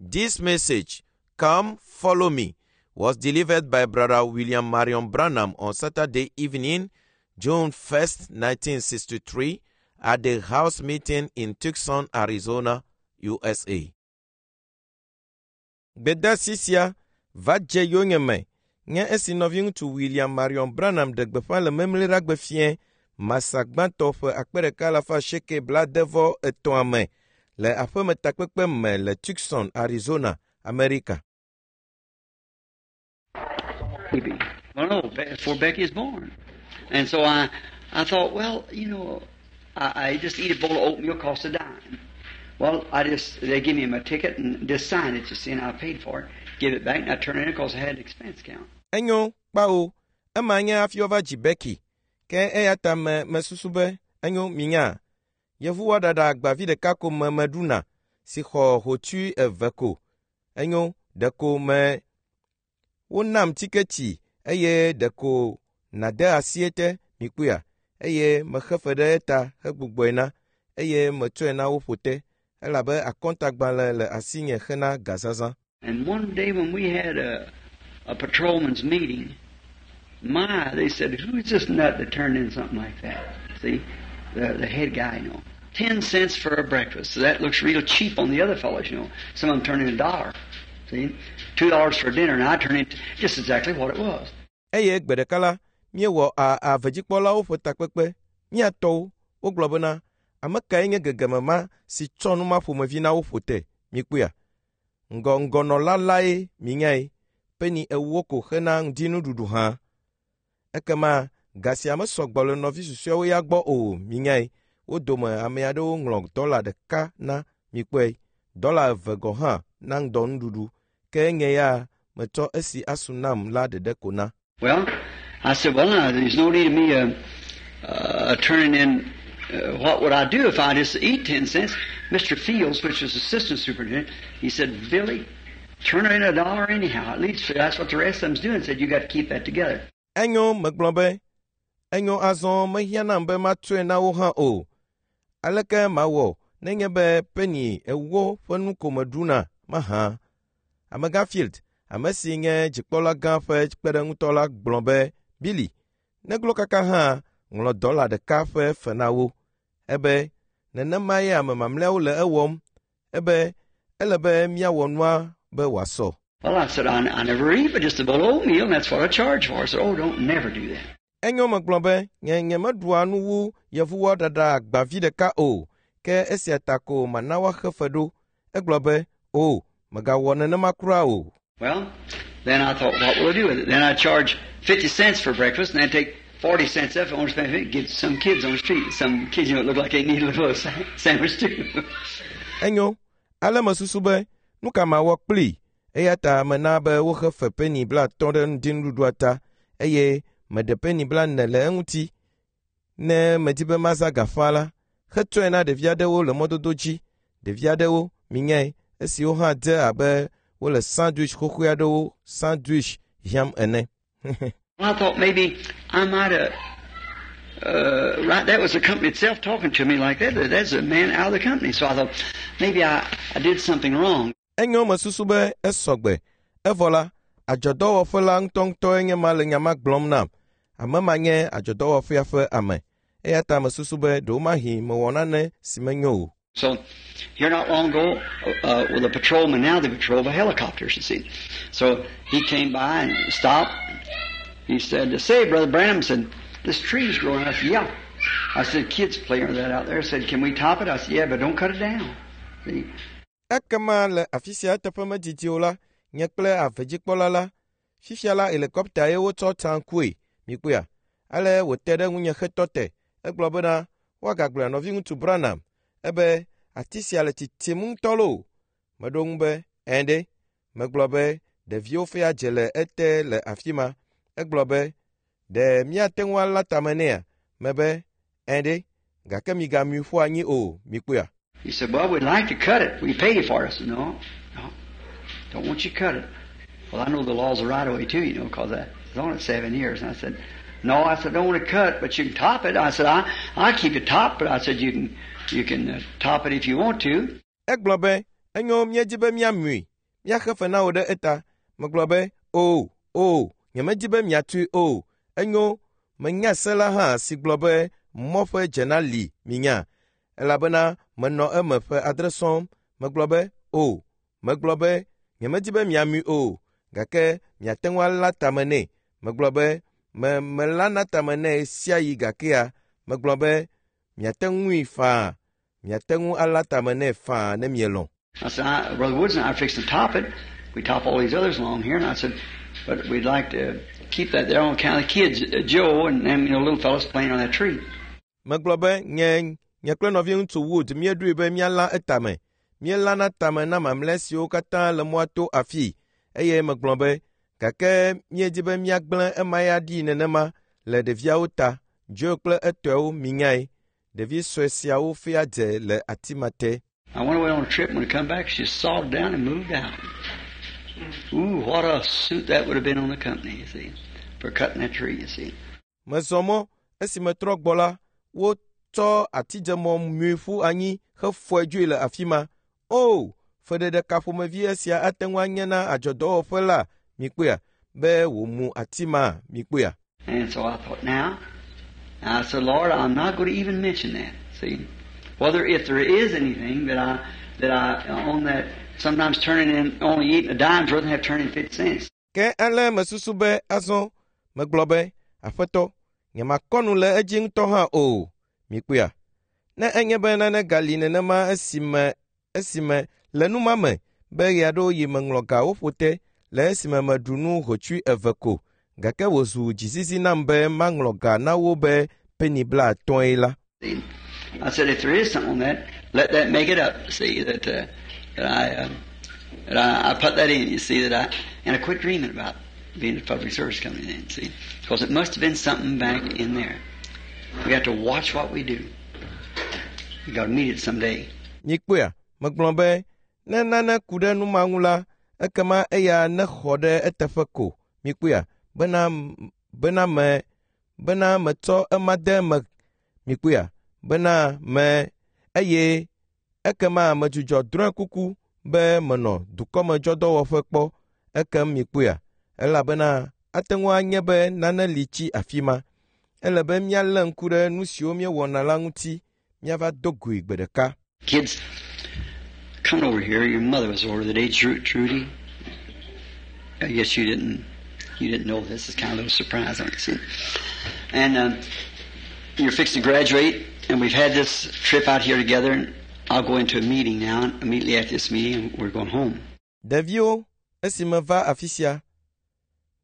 This message, Come Follow Me, was delivered by Brother William Marion Branham on Saturday evening, June 1st, 1963, at the house meeting in Tucson, Arizona, USA. Gbedasi sia va dze yonyeme nye esi nɔviŋutsu William Marion Branham ɖe gbeƒã le Memleɖagbe fiẽ Masa gbãtɔ ƒe 1963 me le aƒemetakpekpe me le Tucson, Arizona, Amerika. Baby. Well, no, before Becky was born. And so I thought, well, I just eat a bowl of oatmeal, cost a dime. Well, they give me my ticket and just sign it, you see, and I paid for it. Give it back, and I turn it in because I had an expense account. Enyo, kpao, ema nye hafi woava dzi Becky. Ke eya ta me mesusu be enyo minya. Yevuwɔ ɖaɖa agbavi ɖeka ko me meɖuna si xɔ hotsui eve ko. Enyo, ɖeko me wonam tiketi eye ɖeko nade asi ete mikpɔea eye mexe fe ɖe eta hegbugbɔe na eye metsɔe na wo ƒo te elabe akɔntagbalẽ le asinye hena gazazã. And one day when we had a patrolman's meeting, my, they said, "Who's this nut that turned in something like that?" See, the head guy. 10 cents for a breakfast. So that looks real cheap on the other fellows. Some of them turn in $1. See, $2 for dinner, and I turned in just exactly what it was. Eye gbe ɖeka la, míewɔ a avedzikpɔlawo ƒe takpekpe. Míatɔwo wogblɔ bena, ame kae nye gegeme ma si tsɔ nu ma ƒomevi na wo ƒo te? Mikpɔea? Ŋgɔ ŋgɔnɔla lae minyae. Peni 40 ko hena ŋdinuɖuɖu hã. Ekema ga sia mesɔgbɔ le nɔvi susɔeawo ya gbɔ o minyae. Wo dome ame aɖewo ŋlɔ dɔla 1 na mikpɔe. Dɔla 2 gɔ̃ hã na ŋdɔnuɖuɖu. Ke nye ya metsɔ esi asu nam la ɖeɖe ko na. Well, I said, "Well, now, there's no need of me turning in. What would I do if I just eat 10 cents?" Mr. Fields, which was assistant superintendent, he said, "Billy, turn in $1 anyhow. At least that's what the rest of them's doing." Said, "You got to keep that together." Enyo megblɔ be, enyo azɔ mehiã nam be matsɔe na wo hã o. Aleke mawɔ nenye be peni 40 ƒe nu ko meɖuna mahã? Amegã Field, ame si nye dzikpɔla gã ƒe kpeɖeŋutɔ la gblɔ be, Billy, neglo kaka hã ŋlɔ dɔla 1 ƒe fe na wo. Ebe, nenemae ame mamlɛawo le ewɔm. Ebe, ele be míawɔ nua be wòasɔ. Well, I said, I never eat but just a bowl of oatmeal, and that's what I charge for." I said, "Oh, don't never do that." Enyo megblɔ be, nye nyemeɖua nu wu yevuwɔ ɖaɖa agbavi ɖeka o, ke esia ta ko mana woaxe fe ɖo. Egblɔ be, o, mègawɔ nenema kura o. Well, then I thought, "What will I do with it?" Then I charge 50 cents for breakfast, and then take 40 cents off. I only spend 50, give some kids on the street. Some kids look like they need a little sandwich too. Enyo, ale mesusu be, nu ka mawɔ kplii? Eya ta mena be woxe fe peni 50 ɖe ŋdinuɖuɖua ta eye meɖe peni 40 le eŋuti. Ne medi be mazã ga faa la, hetsɔe na ɖevi aɖewo le mɔdodo dzi. Ɖevi aɖewo, minyae, esiwo hã dze abe wole sandwich xoxoe aɖewo sandwich hiãm ene. I thought maybe I might have. Right, that was the company itself talking to me like that. That's a man out of the company. So I thought maybe I did something wrong. Enyo mesusu be esɔgbe. Evɔ la, adzɔdɔwɔƒe la ŋutɔŋutɔe nye ma le nya ma gblɔm nam. Ame ma nye adzɔdɔwɔƒea ƒe ame. Eya ta mesusu be ɖewomahi mewɔ nane si menyo o. So here not long ago, with a patrolman now, they patrol the helicopters, you see. So he came by and stopped. He said, "Say, Brother Branham," said, "this tree's growing." I said, "Yeah." I said, "Kids play under that out there." I said, "Can we top it?" I said, "Yeah, but don't cut it down." See? Ekema le afi sia eteƒe medidi o la, nye kple avedzikpɔla la, fifia la helikɔpta ye wotsɔ tsa ŋkue, mikpɔea. Ale wòte ɖe ŋunye hetɔ te. Egblɔ bena, woagagblɔe nɔviŋutsu Branham, ebe ati sia le tsitsim ŋutɔ loo. Meɖo ŋu be, ɛ̃ ɖe. Megblɔ be, ɖeviwo fea dze le ete le afi ma. Egblɔ be, ɖe míate ŋu alã tame nɛa? Mebe, ɛ̃ ɖe, gake migamui ƒu anyi o, mikpɔea. He said, "Well, we'd like to cut it. We pay you for it." I said, No, don't want you to cut it." Well, I know the laws of right of way too, because I was on it 7 years. And I said, "No," I said, "don't want to cut, but you can top it." I said, I keep it top, but I said, you can top it if you want to." Egblɔ be, enyo míedi be míamui. Míaxe fe na wò ɖe eta. Megblɔ be, O, o, nyemedi be miatui o. Enyo, menya se la hã si gblɔ be mɔ ƒe dzena li minya. Elabena menɔ eme ƒe 7 sɔŋ. Megblɔ be, O, megblɔ be, nyemedi be miamui o, gake miate ŋu alã tame nɛ. Megblɔ be, me melãna tame nɛ ɣe sia ɣi gakea, megblɔ be, miate ŋui faa. Miate ŋu alã tame nɛ faa ne mielɔ̃. I said, Brother Woods and I are fixing to top it. We top all these others along here. And I said, but we'd like to keep that there on account of the kids, Joe and them, little fellows playing on that tree. Megblɔ be, nye, nye kple nɔviŋutsu Wood míeɖoe be míalã etame. Míelãna tame na mamlɛ siwo katã le mɔa to afii. Eye megblɔ be, gake míedi be míagblẽ ema ya ɖi nenema le ɖeviawo ta. Joe kple etɔewo minyae. Ɖevi sue siawo fia dze le ati ma te. I went away on a trip, and when I come back, she sawed down and moved out. Ooh, what a suit that would have been on the company, you see, for cutting that tree, you see. Mezɔ mɔ, esi metrɔ gbɔ la, wotsɔ atidzemɔ mui ƒu anyi hefɔe dzoe le afi ma. O, feɖeɖe ka ƒomevi esia ate ŋu anye na adzɔdɔwɔƒe la, mikpɔea, be wòmu ati ma, mikpɔea. And so I thought, now, I said, Lord, I'm not going to even mention that, see. Whether if there is anything that I on that, sometimes turning in, only eating a dime's worth and have turned in 50 cents. Ke ale mesusu be azɔ megblɔ be, Aƒetɔ, nyemakɔ nu le edzi ŋutɔ hã o. Mikpɔea? Ne enye be nane gali nenema esime le nu ma me be ɣe aɖewo yi meŋlɔ gawo ƒo te le esime meɖu nu hotsui eve ko, gake wòzu dzizizi nam be maŋlɔ ga na wo be peni 50 la. I said, if there is something on that, let that make it up. See that I put that in. You see that I and I quit dreaming about being a public service company then. See, because it must have been something back in there. We got to watch what we do. We got to meet it someday. Mikpɔea, megblɔ be ne nane ku ɖe nu ma ŋu la, ekema eya nexɔ ɖe eteƒe ko. Mikpɔea, bena bena metsɔ ema de eme. Mikpɔea, bena me eye ekema medzudzɔ drɔ̃e kuku be menɔ dukɔmedzɔdɔwɔƒe kpɔ. Ekem mikpɔea, elabena ate ŋu anye be nane li tsi afi ma. Ele be míalé ŋku ɖe nu siwo míewɔna la ŋuti, míava do goe gbe ɖeka. Kids, come over here. Your mother was over the day, Trudy. I guess you didn't. You didn't know this. It's kind of a little surprise, aren't you? And you're fixing to graduate, and we've had this trip out here together, and I'll go into a meeting now, and immediately after this meeting, we're going home. Ɖeviwo, esi meva afi sia,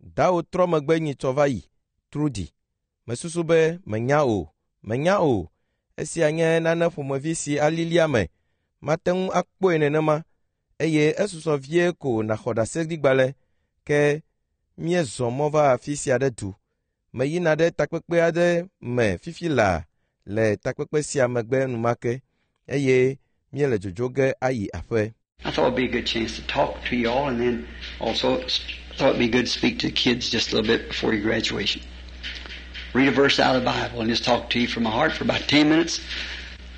dawo trɔ megbe nyitsɔ va yi, Trudy. Mesusu be menya o. Esia nye nane ƒomevi si alilia me. Mate ŋu akpɔe nenema, eye esusɔ vie ko nàxɔ ɖaseɖigbalẽ, ke míezɔ mɔ va afi sia ɖe du. Meyina ɖe takpekpe aɖe me fifi laa le takpekpe sia megbe enumake, eye míele dzodzo ge ayi aƒe. I thought it'd be a good chance to talk to you all, and then also thought it'd be good to speak to the kids just a little bit before your graduation. Read a verse out of the Bible and just talk to you from my heart for about 10 minutes.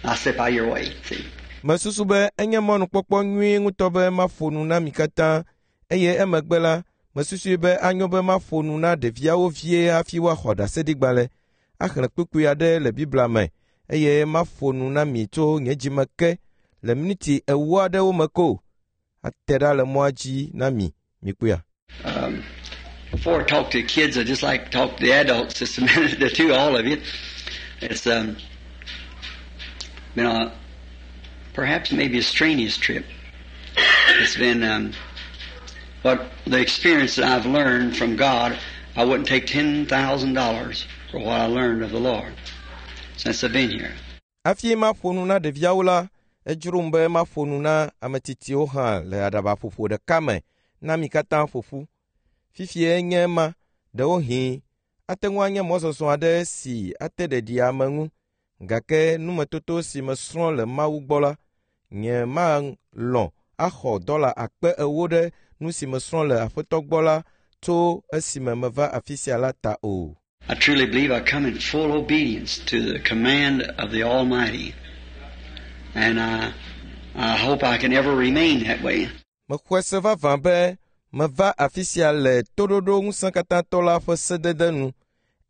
I'll step out of your way. See. Mesusu be enye mɔnukpɔkpɔ nyui ŋutɔ be maƒo nu na mi katã, eye emegbe la, mesusui be anyo be maƒo nu na ɖeviawo vie hafi woaxɔ ɖaseɖigbalẽ, axlẽ kpukpui aɖe le Biblia me, eye maƒo nu na mi tso nye dzime ke le miniti 40 aɖewo me ko. Ate ɖa le mɔa dzi na mi, mikpɔea. Before I talk to the kids, I just like to talk to the adults just a minute, the two, all of you. It's been a perhaps maybe a strenuous trip. It's been, but the experience that I've learned from God, I wouldn't take $10,000 for what I learned of the Lord since I've been here. Hafi maƒo nu na ɖeviawo la, edzrom be maƒo nu na ame tsitsiwo hã le aɖabaƒoƒo ɖeka me na mi katã ƒo ƒu. Fifie nye ema, ɖewohĩ ate ŋu anye mɔzɔzɔ aɖe si ate ɖeɖi ame ŋu, gake numetoto si mesrɔ̃ le Mawu gbɔ la, nye malɔ̃ axɔ $40,000 ɖe nu si mesrɔ̃ le Aƒetɔ gbɔ la tso esime meva afi sia la ta o. I truly believe I come in full obedience to the command of the Almighty, and I hope I can ever remain that way. Mexɔe se vavã be meva afi sia le toɖoɖo ŋusẽkatãtɔ la ƒe sedede nu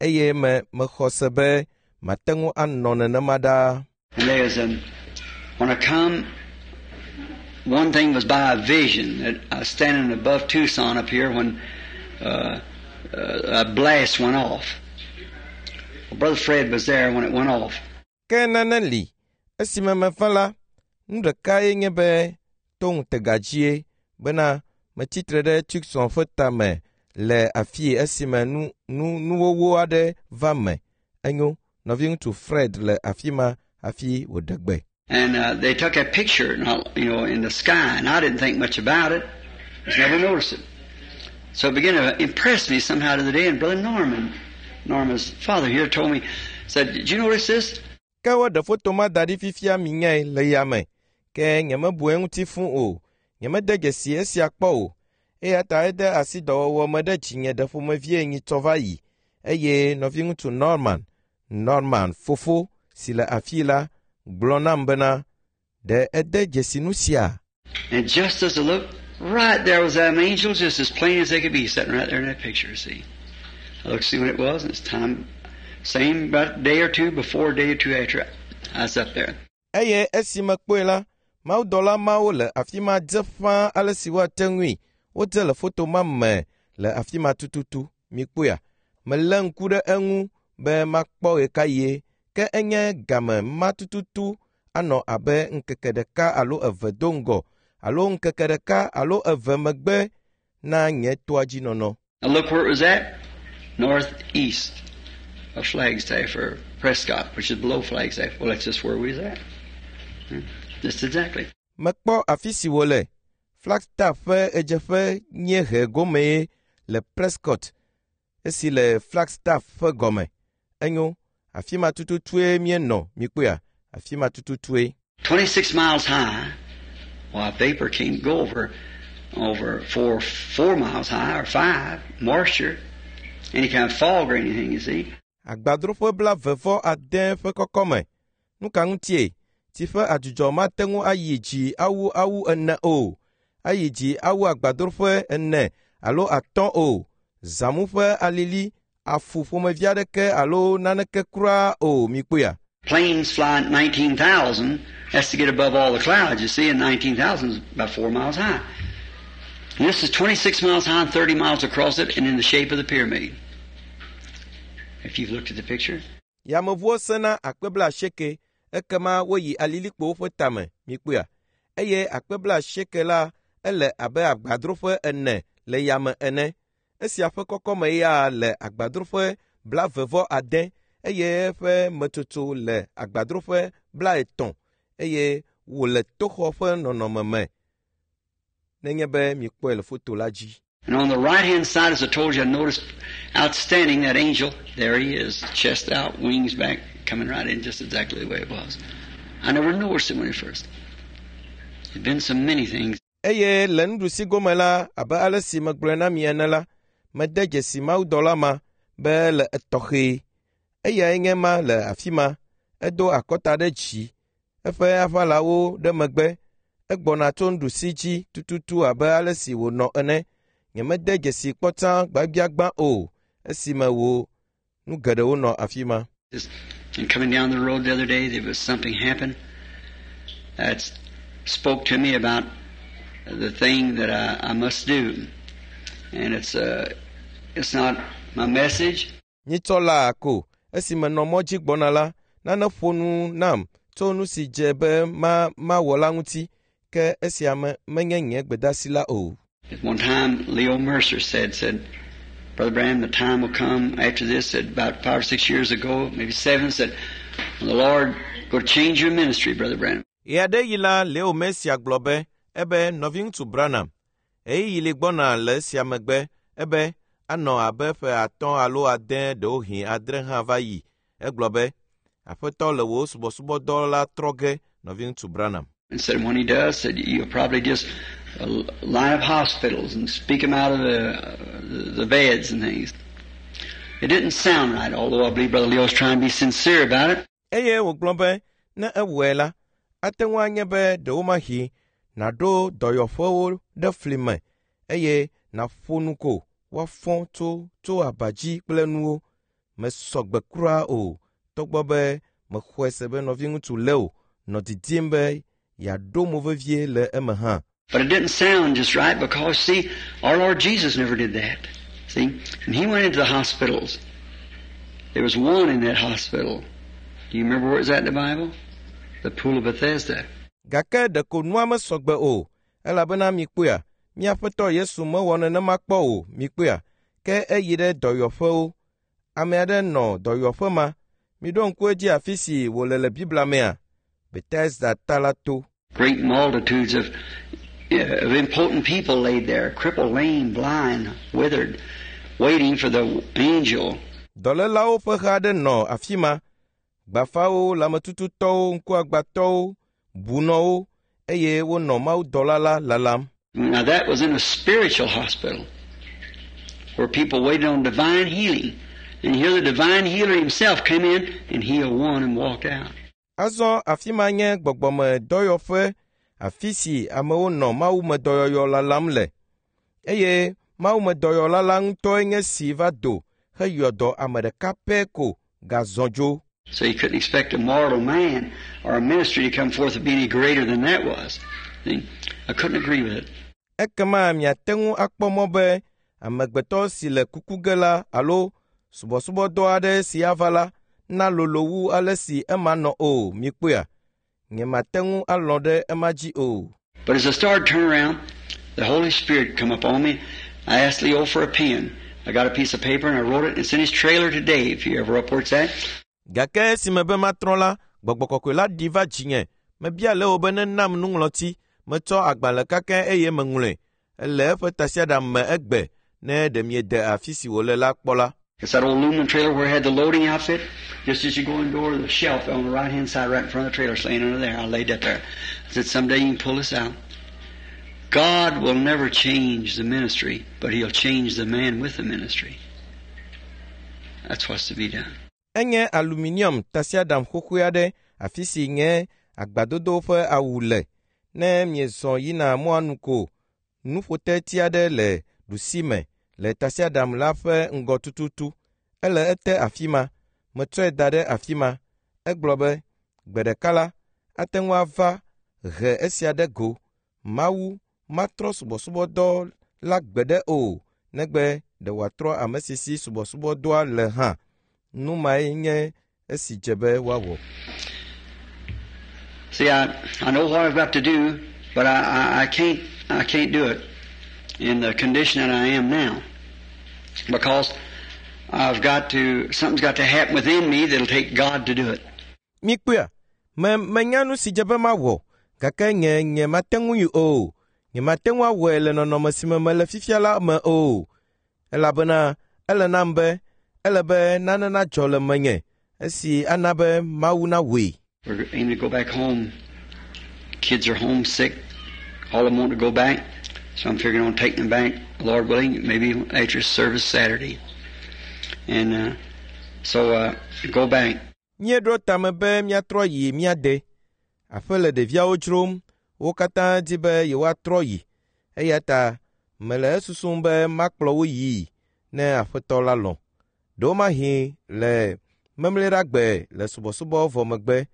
eye me mexɔ se be mate ŋu anɔ nenema ɖaa. And there's when I come, one thing was by a vision that I was standing above Tucson up here when a blast went off. Well, Brother Fred was there when it went off. Ke nane li esime meva la, nu ɖekae nye be to ŋutega dzie bena metsitre ɖe Tucson ƒe tame le afii esime nu nu nuwɔwɔ aɖe va me. Enyo, nɔviŋutsu Fred le afi ma hafi wòɖe gbe. And they took a picture, and I, in the sky, and I didn't think much about it. Just never noticed it. So it began to impress me somehow to the day. And Brother Norman, Norma's father here, told me, said, "Did you notice this?" Ke woɖe foto ma da ɖi fifia minyae le yame. Ke nyemebu eŋuti fũ o. Nyemede dzesi esia kpɔ o. Eya ta ede asi dɔwɔwɔ me ɖe dzinye ɖe ƒomevie nyitsɔ va yi. Eye nɔviŋutsu Norman, Norman fofo si le afii la, gblɔ nam bena, ɖe ede dzesi nu sia? And just as I looked, right there was them angels, just as plain as they could be, sitting right there in that picture, see. I looked to see when it was, and it's time, same about a day or two before, a day or two after, I was up there. Eye esi mekpɔe la, mawudɔla mawo le afi ma dze ƒãa ale si woate ŋui. Wodze le foto ma me le afi ma tututu. Mikpɔea? Melé ŋku ɖe eŋu be makpɔ ɣekaɣie. Ke enye game ma tututu anɔ abe ŋkeke ɖeka alo eve do ŋgɔ alo ŋkeke ɖeka alo eve megbe na nye toa dzi nɔnɔ. Now look where it was at, northeast of Flagstaff or Prescott, which is below Flagstaff. Well, that's just where we was at. Just exactly. Mekpɔ afi si wòle. Flagstaff ƒe ɣedzeƒe dziehe gomee le Prescott, esi le Flagstaff ƒe gɔme. Enyo, afi ma tututue míenɔ, mikpɔea? Afi ma tututue. 26 miles high. Well, vapor can't go over 4 miles high or 5, moisture, any kind of fog or anything, you see. Agbadroƒe 29 ƒe kɔkɔme. Nu ka ŋutie? Tsi ƒe adzudzɔ mate ŋu ayi dzi awu awu ene o. Ayi dzi awu agbadroƒe 4 alo 5 o. Zãmu ƒe alili, afu ƒomevi aɖeke alo naneke kura o, mikpɔea? Planes fly at 19,000. That's to get above all the clouds, you see, and 19,000 is about 4 miles high. And this is 26 miles high and 30 miles across it, and in the shape of the pyramid. If you've looked at the picture. Yameʋuwo sena akpe 80, ekema woyi alilikpowo ƒe tame, mikpɔea? Eye akpe 80 la ele abe agbadroƒe 4 le yame ene. Esia ƒe kɔkɔme ya le agbadroƒe 26, eye eƒe metsotso le agbadroƒe 30, eye wòle toxɔ ƒe nɔnɔme me. Nenye be mikpɔe le foto la dzi. And on the right-hand side, as I told you, I noticed outstanding that angel. There he is, chest out, wings back, coming right in just exactly the way it was. I never noticed it when it first. There'd been so many things. Eye le nuɖusi gome la, abe ale si megblɔe na mi ene la, mede dzesi mawudɔla ma be le etɔxɛ. Eyae nye ma le afi ma. Edo akɔta ɖe dzi, eƒe aʋalawo ɖe megbe. Egbɔna tso nuɖusi dzi tututu abe ale si wònɔ ene. Nyemede dzesi kpɔtsã gbagbiagbã o, esime wò nu geɖewo nɔ afi ma. And coming down the road the other day, there was something happened that spoke to me about the thing that I must do. And it's not my message. Nyitsɔ laa ko, esime nɔ mɔ dzi gbɔna la, nane ƒo nu nam tso nu si dze be mawɔ la ŋuti, ke esia me menye nye gbedasi la o. At one time, Leo Mercer said, Brother Branham, the time will come after this, said about 5 or 6 years ago, maybe 7, said, when the Lord go to change your ministry, Brother Branham. Ɣeaɖeɣi la, Leo Mercer gblɔ be, ebe nɔviŋutsu Branham, ɣeyiɣi li gbɔna le esia megbe, ebe anɔ abe ƒe 5 alo 6 ɖewohĩ 7 hã va yi. Egblɔ be, Aƒetɔ le wò subɔsubɔdɔ la trɔ ge, nɔviŋutsu Branham. And said when he does, said you'll probably just line up hospitals and speak them out of the beds and things. It didn't sound right, although I believe Brother Leo's trying to be sincere about it. Eye wògblɔ be ne ewɔe la, ate ŋu anye be ɖewomahi Nàɖo dɔyɔƒewo ɖe fli me eye nàƒo nu ko woafɔ tso tso aba dzi kple nuwo. Mesɔ gbe kura o, togbɔ be mexɔe se be nɔviŋutsu Leo nɔ didim be yeaɖo mo vevie le eme hã. But it didn't sound just right because, see, our Lord Jesus never did that. See? And He went into the hospitals. There was one in that hospital. Do you remember where it was at in the Bible? The Pool of Bethesda. Gake ɖeko nua mesɔ gbe o, elabena mikpɔea, mía Aƒetɔ Yesu mewɔ nenema kpɔ o, mikpɔea, ke eyi ɖe dɔyɔƒewo. Ame aɖe nɔ dɔyɔƒe ma. Miɖo ŋku edzi afi si wòle le Biblia mea? Bethesda ta la to. Great multitudes of impotent people laid there, crippled, lame, blind, withered, waiting for the angel. Dɔlélawo ƒe ha aɖe nɔ afi ma. Gbafawo, lãmetututɔwo, ŋkuagbãtɔwo, bunɔwo eye wonɔ mawudɔla la lalam. Now that was in a spiritual hospital where people waited on divine healing. And here the divine healer himself came in and healed one and walked out. Azɔ afi ma nye gbɔgbɔme dɔyɔƒe afi si amewo nɔ mawumedɔyɔyɔ lalam le. Eye mawumedɔyɔla la ŋutɔe nye si va do heyɔ dɔ ame ɖeka pɛ ko gazɔ dzo. So you couldn't expect a mortal man or a ministry to come forth to be any greater than that was. See? I couldn't agree with it. Ekema miate ŋu akpɔ mɔ be amegbetɔ si le kuku ge la alo subɔsubɔdɔ aɖe si ava la nalolo wu ale si ema nɔ o, mikpɔea? Nyemate ŋu alɔ̃ ɖe ema dzi o. But as I started turning around, the Holy Spirit come up on me. I asked Leo for a pen. I got a piece of paper and I wrote it. It's in his trailer today, if you ever up where it's at. Gake esime be matrɔ la, gbɔgbɔ kɔkɔe la ɖi va dzinye. Mebia Leo be nenam nuŋlɔti. Metsɔ agbalẽ kakɛ eye meŋlɔe. Ele eƒe tasiaɖam me egbe ne ɖe miede afi si wòle la kpɔ la. It's that old aluminum trailer where it had the loading outfit. Just as you go in door, the shelf on the right-hand side right in front of the trailer is laying under there. I laid that there. I said, someday you can pull this out. God will never change the ministry, but He'll change the man with the ministry. That's what's to be done. Enye aluminium tasiaɖam xoxoe aɖe afi si nye agbadodo ƒe awu le. Ne miezɔ yina mɔa nu ko, nuƒoteti aɖe le ɖusime le tasiaɖam la ƒe ŋgɔ tututu. Ele ete afi ma. Metsɔe da ɖe afi ma. Egblɔ be, gbe ɖeka la, ate ŋu ava he esia ɖe go. Mawu matrɔ subɔsubɔdɔ la gbeɖe o, negbe ɖe wòatrɔ ame si si subɔsubɔdɔa le hã. Nu mae nye esi dze be woawɔ. See, I know what I've got to do, but I can't do it in the condition that I am now, because I've got to, something's got to happen within me that'll take God to do it. Mikpɔea, me menya nu si dze be mawɔ, gake nye nye mate ŋu yi o. Nye mate ŋu awɔe le nɔnɔme si me mele fifia la me o. Elabena ele nam be ele be nane nadzɔ le menye esi ana be Mawu nawɔe. We're aiming to go back home. Kids are homesick. All of them want to go back. So I'm figuring on taking them back, Lord willing, maybe after service Saturday. And so go back. Míeɖo tame be míatrɔ yi mía de. Aƒe le ɖeviawo dzrom. Wo katã di be yewoatrɔ yi. Eya ta mele esusum be makplɔ wo yii ne Aƒetɔ la lɔ̃. Ɖewomahi le memleɖagbe le subɔsubɔ vɔ megbe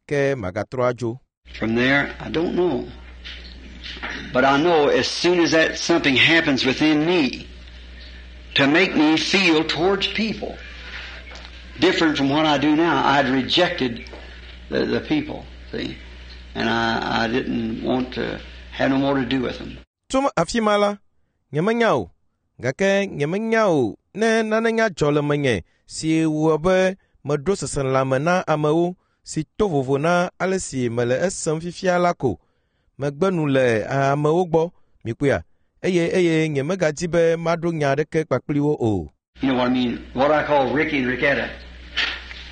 ke magatrɔ adzo. From there, I don't know. But I know as soon as that something happens within me to make me feel towards people different from what I do now, I'd rejected the people, see. And I didn't want to have no more to do with them. Tso afi ma la, nyemenya o. Gake nyemenya o ne nane nya dzɔ le menye si wɔ be meɖo seselãme na amewo si to vovo na ale si mele esem fifia la ko. Megbe nu le amewo gbɔ, mikpɔea? Eye nyemegadi be maɖo nya aɖeke kpakpli wo o. You know what I mean? What I call Ricky and Ricketta.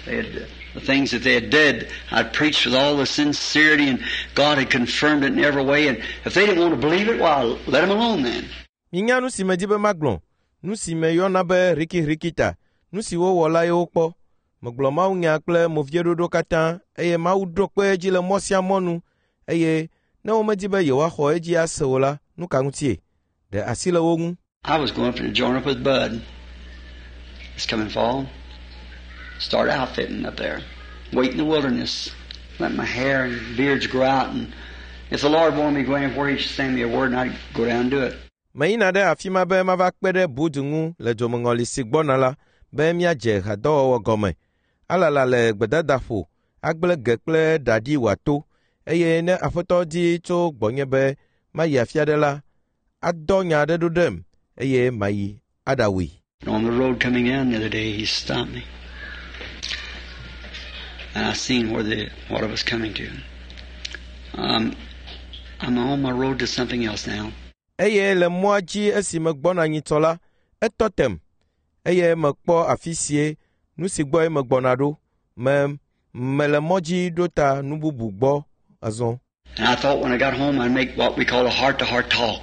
They had the things that they had did. I'd preached with all the sincerity, and God had confirmed it in every way. And if they didn't want to believe it, well, let them alone then. Minya nu si medi be magblɔ, nu si meyɔna be Ricky Ricketta, nu si wowɔ la ye wokpɔ. Megblɔ Mawunya kple movieɖoɖo katã, eye Mawu ɖo kpe edzi le mɔ sia mɔ nu, eye Ne womedi be yewoaxɔ edzi ase o la, nu ka ŋutie? Ɖe asi le wo ŋu. I was going to join up with Bud this coming fall. Start outfitting up there. Wait in the wilderness. Let my hair and beards grow out, and if the Lord wanted me to go anywhere, He'd send me a word and I'd go down and do it. Meyina ɖe afi ma be mava kpe ɖe Bud ŋu le dzomeŋɔli si gbɔna la be míadze hadɔwɔwɔ gɔme. Alala le gbedadaƒo, agblẽ ge kple ɖaɖi wòato eye ne Aƒetɔ di tso gbɔnye be mayi afi aɖe la, adɔ nya aɖe ɖo ɖem eye mayi aɖawui. And on the road coming down the other day, he stopped me. And I seen where the what I was coming to. I'm on my road to something else now. Eye le mɔa dzi esi megbɔna nyitsɔ la, etɔ tem eye mekpɔ afi sie nu si gbɔe megbɔna ɖo. Me mele mɔ dzi ɖo ta nu bubu gbɔ azɔ. And I thought when I got home I'd make what we call a heart-to-heart talk.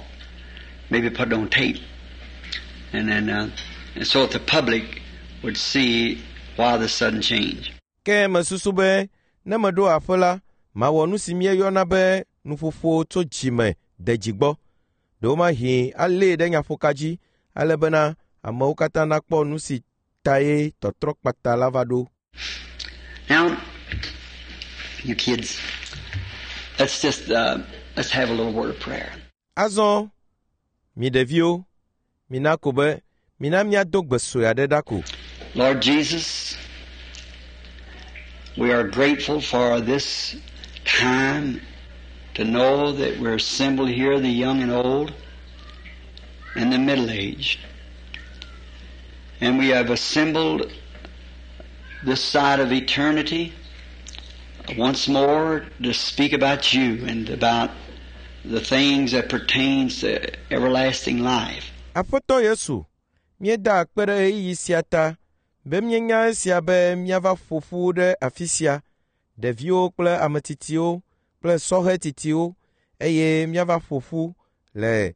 Maybe put it on tape. And then, and so that the public would see why the sudden change. Ke mesusu be ne meɖo aƒe la, mawɔ nu si míeyɔna be nuƒoƒo tso dzime de dzi gbɔ. Ɖewomahi alée ɖe nyaƒoka dzi ale bena amewo katã nakpɔ nu si tae tɔtrɔ kpata la va ɖo. Now, you kids, let's just let's have a little word of prayer. Azɔ, mi ɖeviwo, mina ko be mina míado gbe sue aɖe ɖa ko. Lord Jesus, we are grateful for this time to know that we're assembled here, the young and old, and the middle-aged. And we have assembled this side of eternity once more to speak about you and about the things that pertains to everlasting life. Aƒetɔ Yesu, míeda akpe ɖe ɣeyiɣi sia ta be míenya esia be míava ƒo ƒu ɖe afi sia, ɖeviwo kple ame tsitsiwo kple sɔhɛ tsitsiwo eye míava ƒo ƒu le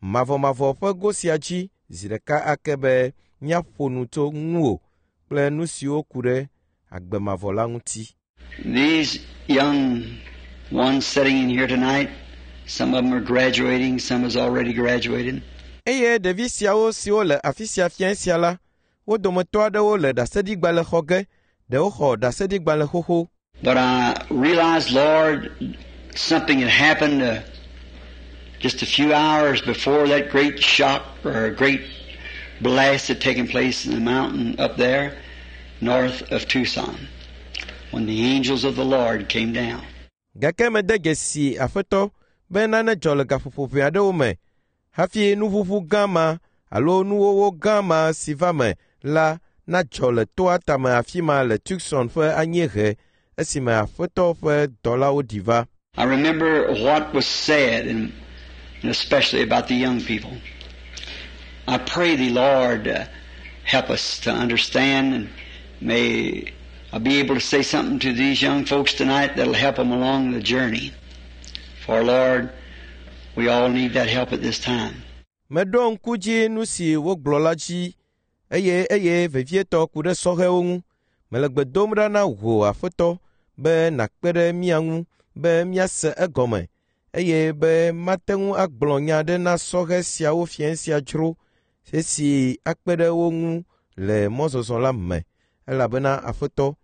mavɔmavɔ ƒe go sia dzi zi ɖeka ake be míaƒo nu tso ŋuwò kple nu siwo ku ɖe agbe mavɔ la ŋuti. These young ones sitting in here tonight, some of them are graduating, some has already graduated. Eye ɖevi siawo siwo le afi sia fiẽ sia la, wo dometɔ aɖewo le ɖaseɖigbalẽ xɔ ge, ɖewo xɔ ɖaseɖigbalẽ xoxo. But I realized, Lord, something had happened just a few hours before that great shock or great blast had taken place in the mountain up there north of Tucson, when the angels of the Lord came down. Gake mede dzesi Aƒetɔ be nane dzɔ le gaƒoƒo ʋɛ aɖewo me hafi nuʋuʋu gã ma alo nuwɔwɔ gã ma si va me la nadzɔ le toa tame afi ma le Tucson ƒe anyiehe esime Aƒetɔ ƒe dɔlawo ɖi va. I remember what was said, and especially about the young people. I pray thee, Lord, help us to understand, and may I be able to say something to these young folks tonight that'll help them along the journey. For, Lord, we all need that help at this time. Meɖo ŋku dzi nu si wogblɔ la dzi eye eye vevietɔ ku ɖe sɔhɛwo ŋu. Mele gbe dom ɖa na wò Aƒetɔ be nàkpe ɖe mía ŋu be míase egɔme eye be mate ŋu agblɔ nya aɖe na sɔhɛ siawo fiẽ sia dzro esi akpe ɖe wo ŋu le mɔzɔzɔ la me elabena Aƒetɔ,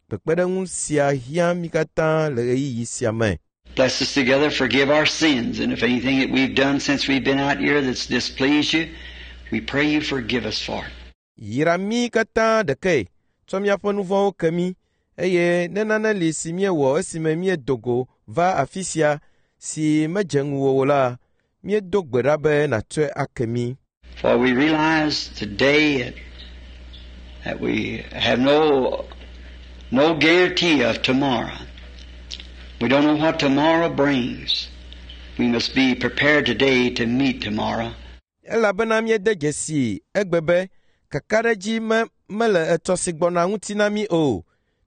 kpekpeɖeŋu sia hiã mí katã le ɣeyiɣi sia me. Bless us together, forgive our sins, and if anything that we've done since we've been out here that's displeased you, we pray you forgive us for it. Yra mí katã ɖekae, tsɔ míaƒe nu vɔ̃wo ke mí, eye ne nane li si míewɔ esime míedo go va afi sia si medze ŋuwò o la, míedo gbe ɖa be nàtsɔe ake mí. For we realize today that we have no guarantee of tomorrow. We don't know what tomorrow brings. We must be prepared today to meet tomorrow. Elabena míede dzesi egbe be kakaɖedzi me mele etsɔ si gbɔna ŋuti na mí o.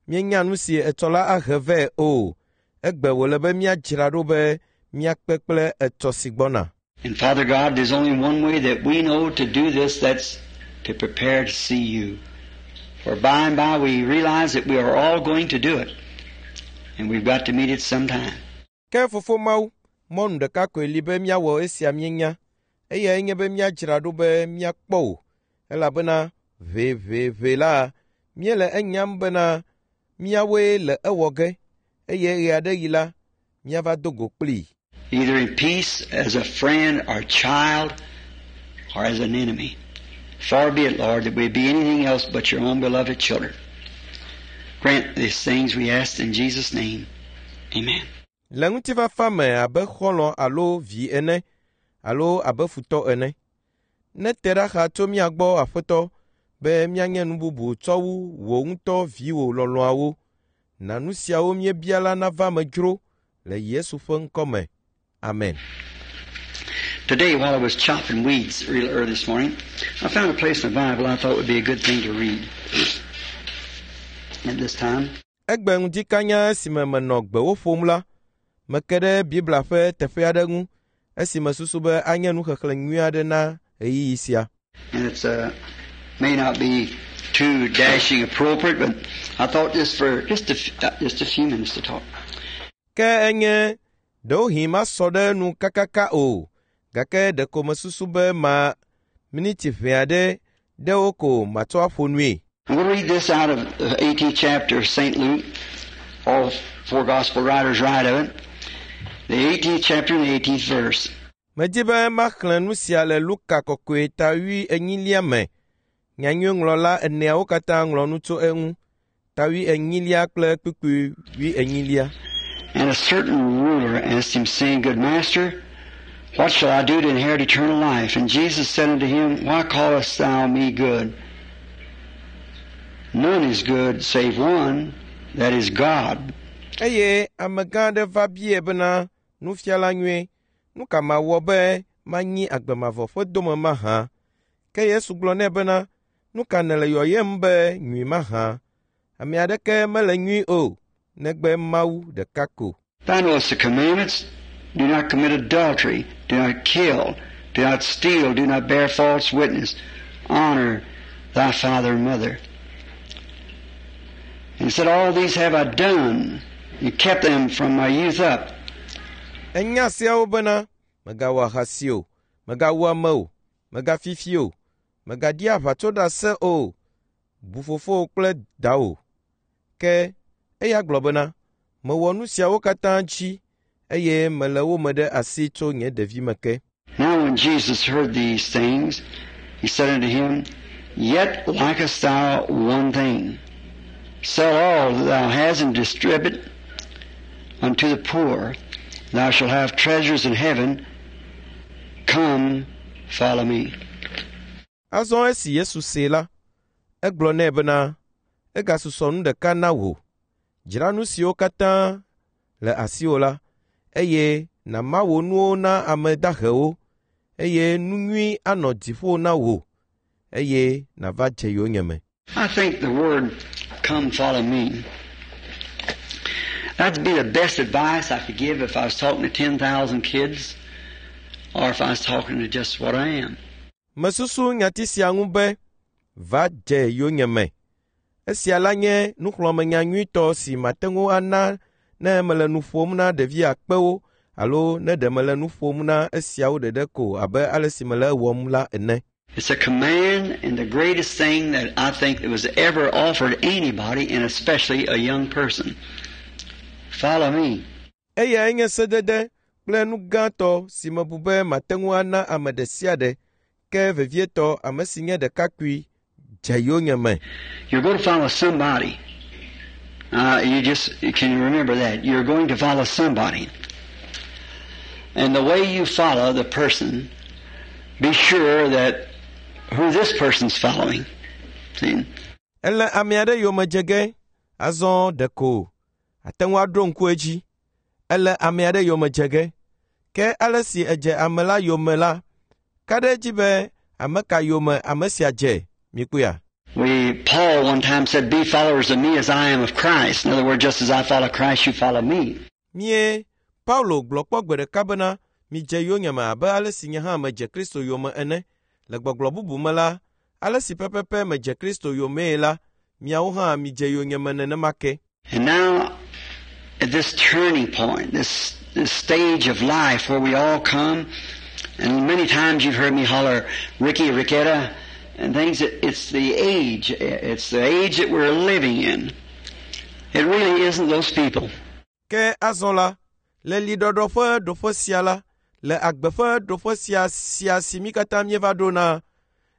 Míenya nu si etsɔ la ahe vɛ o. Egbe wòle be míadzra ɖo be míakpe kple etsɔ si gbɔna. And Father God, there's only one way that we know to do this, that's to prepare to see you. For by and by we realize that we are all going to do it. And we've got to meet it sometime. Ke fofo Mawu, Mɔnu ɖeka koe li be míawɔ esia míenya. Eyae nye be míadzra ɖo be míakpɔ wò, elabena ʋeʋeʋe la, míele enyam bena míawoe le ewɔ ge, eye ɣe aɖe ɣi la, míava do go kplii. Either in peace as a friend or child or as an enemy. Far be it, Lord, that we be anything else but your own beloved children. Grant these things we ask in Jesus' name. Amen. Le ŋutifafa me abe xɔlɔ̃ alo vi ene alo abe futɔ ene. Nete ɖa xa tso mía gbɔ, Aƒetɔ, be míanye nu bubu tsɔ wu wò ŋutɔ viwò lɔlɔ̃awo. Na nu siawo míebia la nava me dzro le Yesu ƒe ŋkɔ me. Amen. Today, while I was chopping weeds real early this morning, I found a place in the Bible I thought would be a good thing to read at this time. Egbe ŋdikanya esime menɔ gbewo ƒom la, meke ɖe Biblia ƒe teƒe aɖe ŋu esi mesusu be anye nuxexlẽ nyui aɖe na ɣeyiɣi sia. And it's may not be too dashing appropriate, but I thought just for just a few minutes to talk. Ke enye ɖewohĩ masɔ ɖe nu kakaka o, gake ɖeko mesusu be ma miniti ʋɛ aɖe ɖewo ko matsɔ aƒo nui. I'm going to read this out of the 18th chapter of St. Luke. All four gospel writers write of it. The 18th chapter and the 18th verse. Medi be maxlẽ nu sia le Luka kɔkɔe ta wui enyilia me. Nyanyuiŋlɔla eneawo katã ŋlɔ nu tso eŋu. Ta wui enyilia kple kpukpui wui enyilia. And a certain ruler asked him, saying, Good master, what shall I do to inherit eternal life? And Jesus said unto him, Why callest thou me good? None is good save one, that is God. Eye amegã aɖe va biae bena, Nufiala nyui, nu ka mawɔ be manyi agbe mavɔ ƒe dome mahã? Ke Yesu gblɔ nɛ bena, Nu ka nèle yɔyem be nyui mahã? Ame aɖeke mele nyui o, negbe Mawu ɖeka ko. Thou knowest the commandments. Do not commit adultery. Do not kill. Do not steal. Do not bear false witness. Honor thy father and mother. And he said, All these have I done, and kept them from my youth up. Enya seawo bena, mègawɔ ahasi o, mègawu ame o, mègafi fi o, mègaɖi aʋatsoɖase o, bu fofowò kple dawò. Ke eya gblɔ bena, mewɔ nu siawo katã dzi, eye mele wo me ɖe asi tso nye ɖevime ke. Now when Jesus heard these things, he said unto him, Yet lackest thou one thing. Sell all that thou hast and distribute unto the poor. Thou shalt have treasures in heaven. Come, follow me. Azɔ esi Yesu see la, egblɔ nɛ bena, egasusɔ nu ɖeka na wò. Dzra nu siwo katã le asiwò la, eye nàma wò nuwo na ame dahewo, eye nu nyui anɔ dziƒo na wò, eye nàva dze yonyeme. I think the word, come follow me, that'd be the best advice I could give if I was talking to 10,000 kids or if I was talking to just what I am. Mesusu nyati sia ŋu be, va dze yonyeme. Esia la nye nuxlɔ̃amenya nyuitɔ si mate ŋu ana ne mele nu ƒom na ɖevi akpewo alo ne ɖe mele nu ƒom na esiawo ɖeɖe ko abe ale si mele ewɔm la ene. It's a command and the greatest thing that I think that was ever offered anybody, and especially a young person. Follow me. Eyae nye sedede kple nu gãtɔ si mebu be mate ŋu ana ame ɖe sia ɖe, ke vevietɔ ame si nye ɖekakpui dze yonyeme. You're going to follow somebody. You just you can remember that. You're going to follow somebody. And the way you follow the person, be sure that who this person's following. See? Ele ame aɖe yome dze ge, azɔ ɖeko ate ŋu aɖo ŋku edzi. Ele ame aɖe yome dze ge. Ke ale si edze ame la yome la, ka ɖe edzi be ame ka yome ame sia dze, mikpɔea? Paul one time said, Be followers of me as I am of Christ. In other words, just as I follow Christ, you follow me. Mie Paulo gblɔ kpɔ gbe ɖeka bena, midze yonyeme abe ale si nye hã medze Kristo yome ene. Le gbɔgblɔ bubu me la, ale si pɛpɛpɛ medze Kristo yomee la, miawo hã midze yonyeme nenema ke. And now, At this turning point, this stage of life where we all come, and many times you've heard me holler, Ricky, Ricketta, and things, it's the age. It's the age that we're living in. It really isn't those people. Ke azɔ la, le liɖɔɖɔ ƒe ɖoƒe sia la, le agbe ƒe ɖoƒe sia sia si mí katã míeva ɖo na,